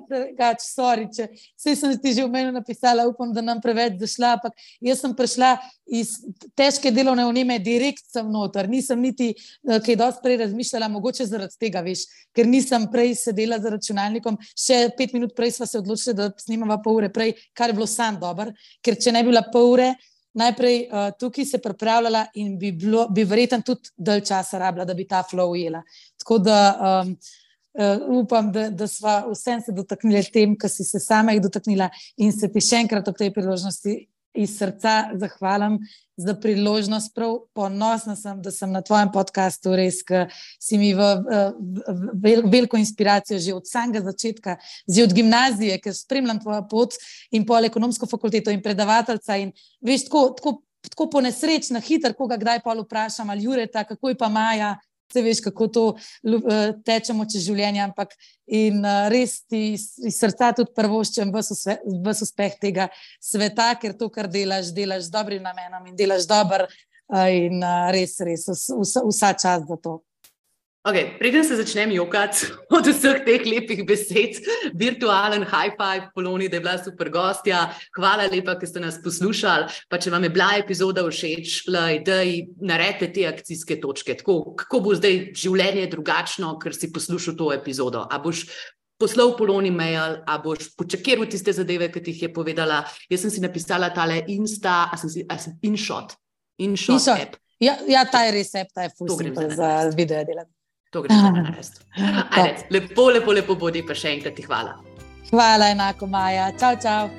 sorry, saj sem ti že v meni napisala, upam, da nam preveč zašla, ampak jaz sem prišla iz težke delovne vneme, direkt sem noter, nisem niti kaj dosti prej razmišljala, mogoče zaradi tega, veš, ker nisem prej sedela za računalnikom, še 5 minut prej sva se odločila, da snimava pol ure prej, kar je bilo sam dober, ker če ne bi bila pol ure, najprej tukaj se pripravljala in bi verjetno tudi dalj časa rabila, da bi ta flow ujela. Tako da upam, da sva vsem se dotaknili tem, ki si se sama jih dotaknila in se ti še enkrat ob tej priložnosti iz srca zahvalim za priložnost. Prav ponosna sem, da sem na tvojem podcastu, res, ki si mi veliko inspiracijo že od samega začetka, že od gimnazije, ker spremljam tvojo pot in pol ekonomsko fakulteto in predavateljca in veš, tako po nesreč na hiter, koga kdaj pol vprašam, ali Jureta, kako je pa Maja, se veš, kako to tečemo čez življenje, ampak in res ti iz srca tudi prvoščem ves uspeh tega sveta, ker to, kar delaš z dobrim namenom in delaš dobro in res vsa čast za to. Preden se začnem jokati od vseh teh lepih besed, virtualen high five Poloni, da je bila super gostja. Hvala lepa, ker ste nas poslušali. Pa če vam je bila epizoda všeč, daj naredite te akcijske točke. Tako, kako bo zdaj življenje drugačno, ker si poslušal to epizodo? A boš poslal Poloni mail, a boš počakiral tiste zadeve, ki ti jih je povedala. Jaz sem si napisala tale Insta, InShot app. Ja, ta je res app, ta je ful simpel za video delati. To greš pa narediti. Ajde, lepo bodi, pa še enkrat ti hvala. Hvala enako, Maja. Čau, čau.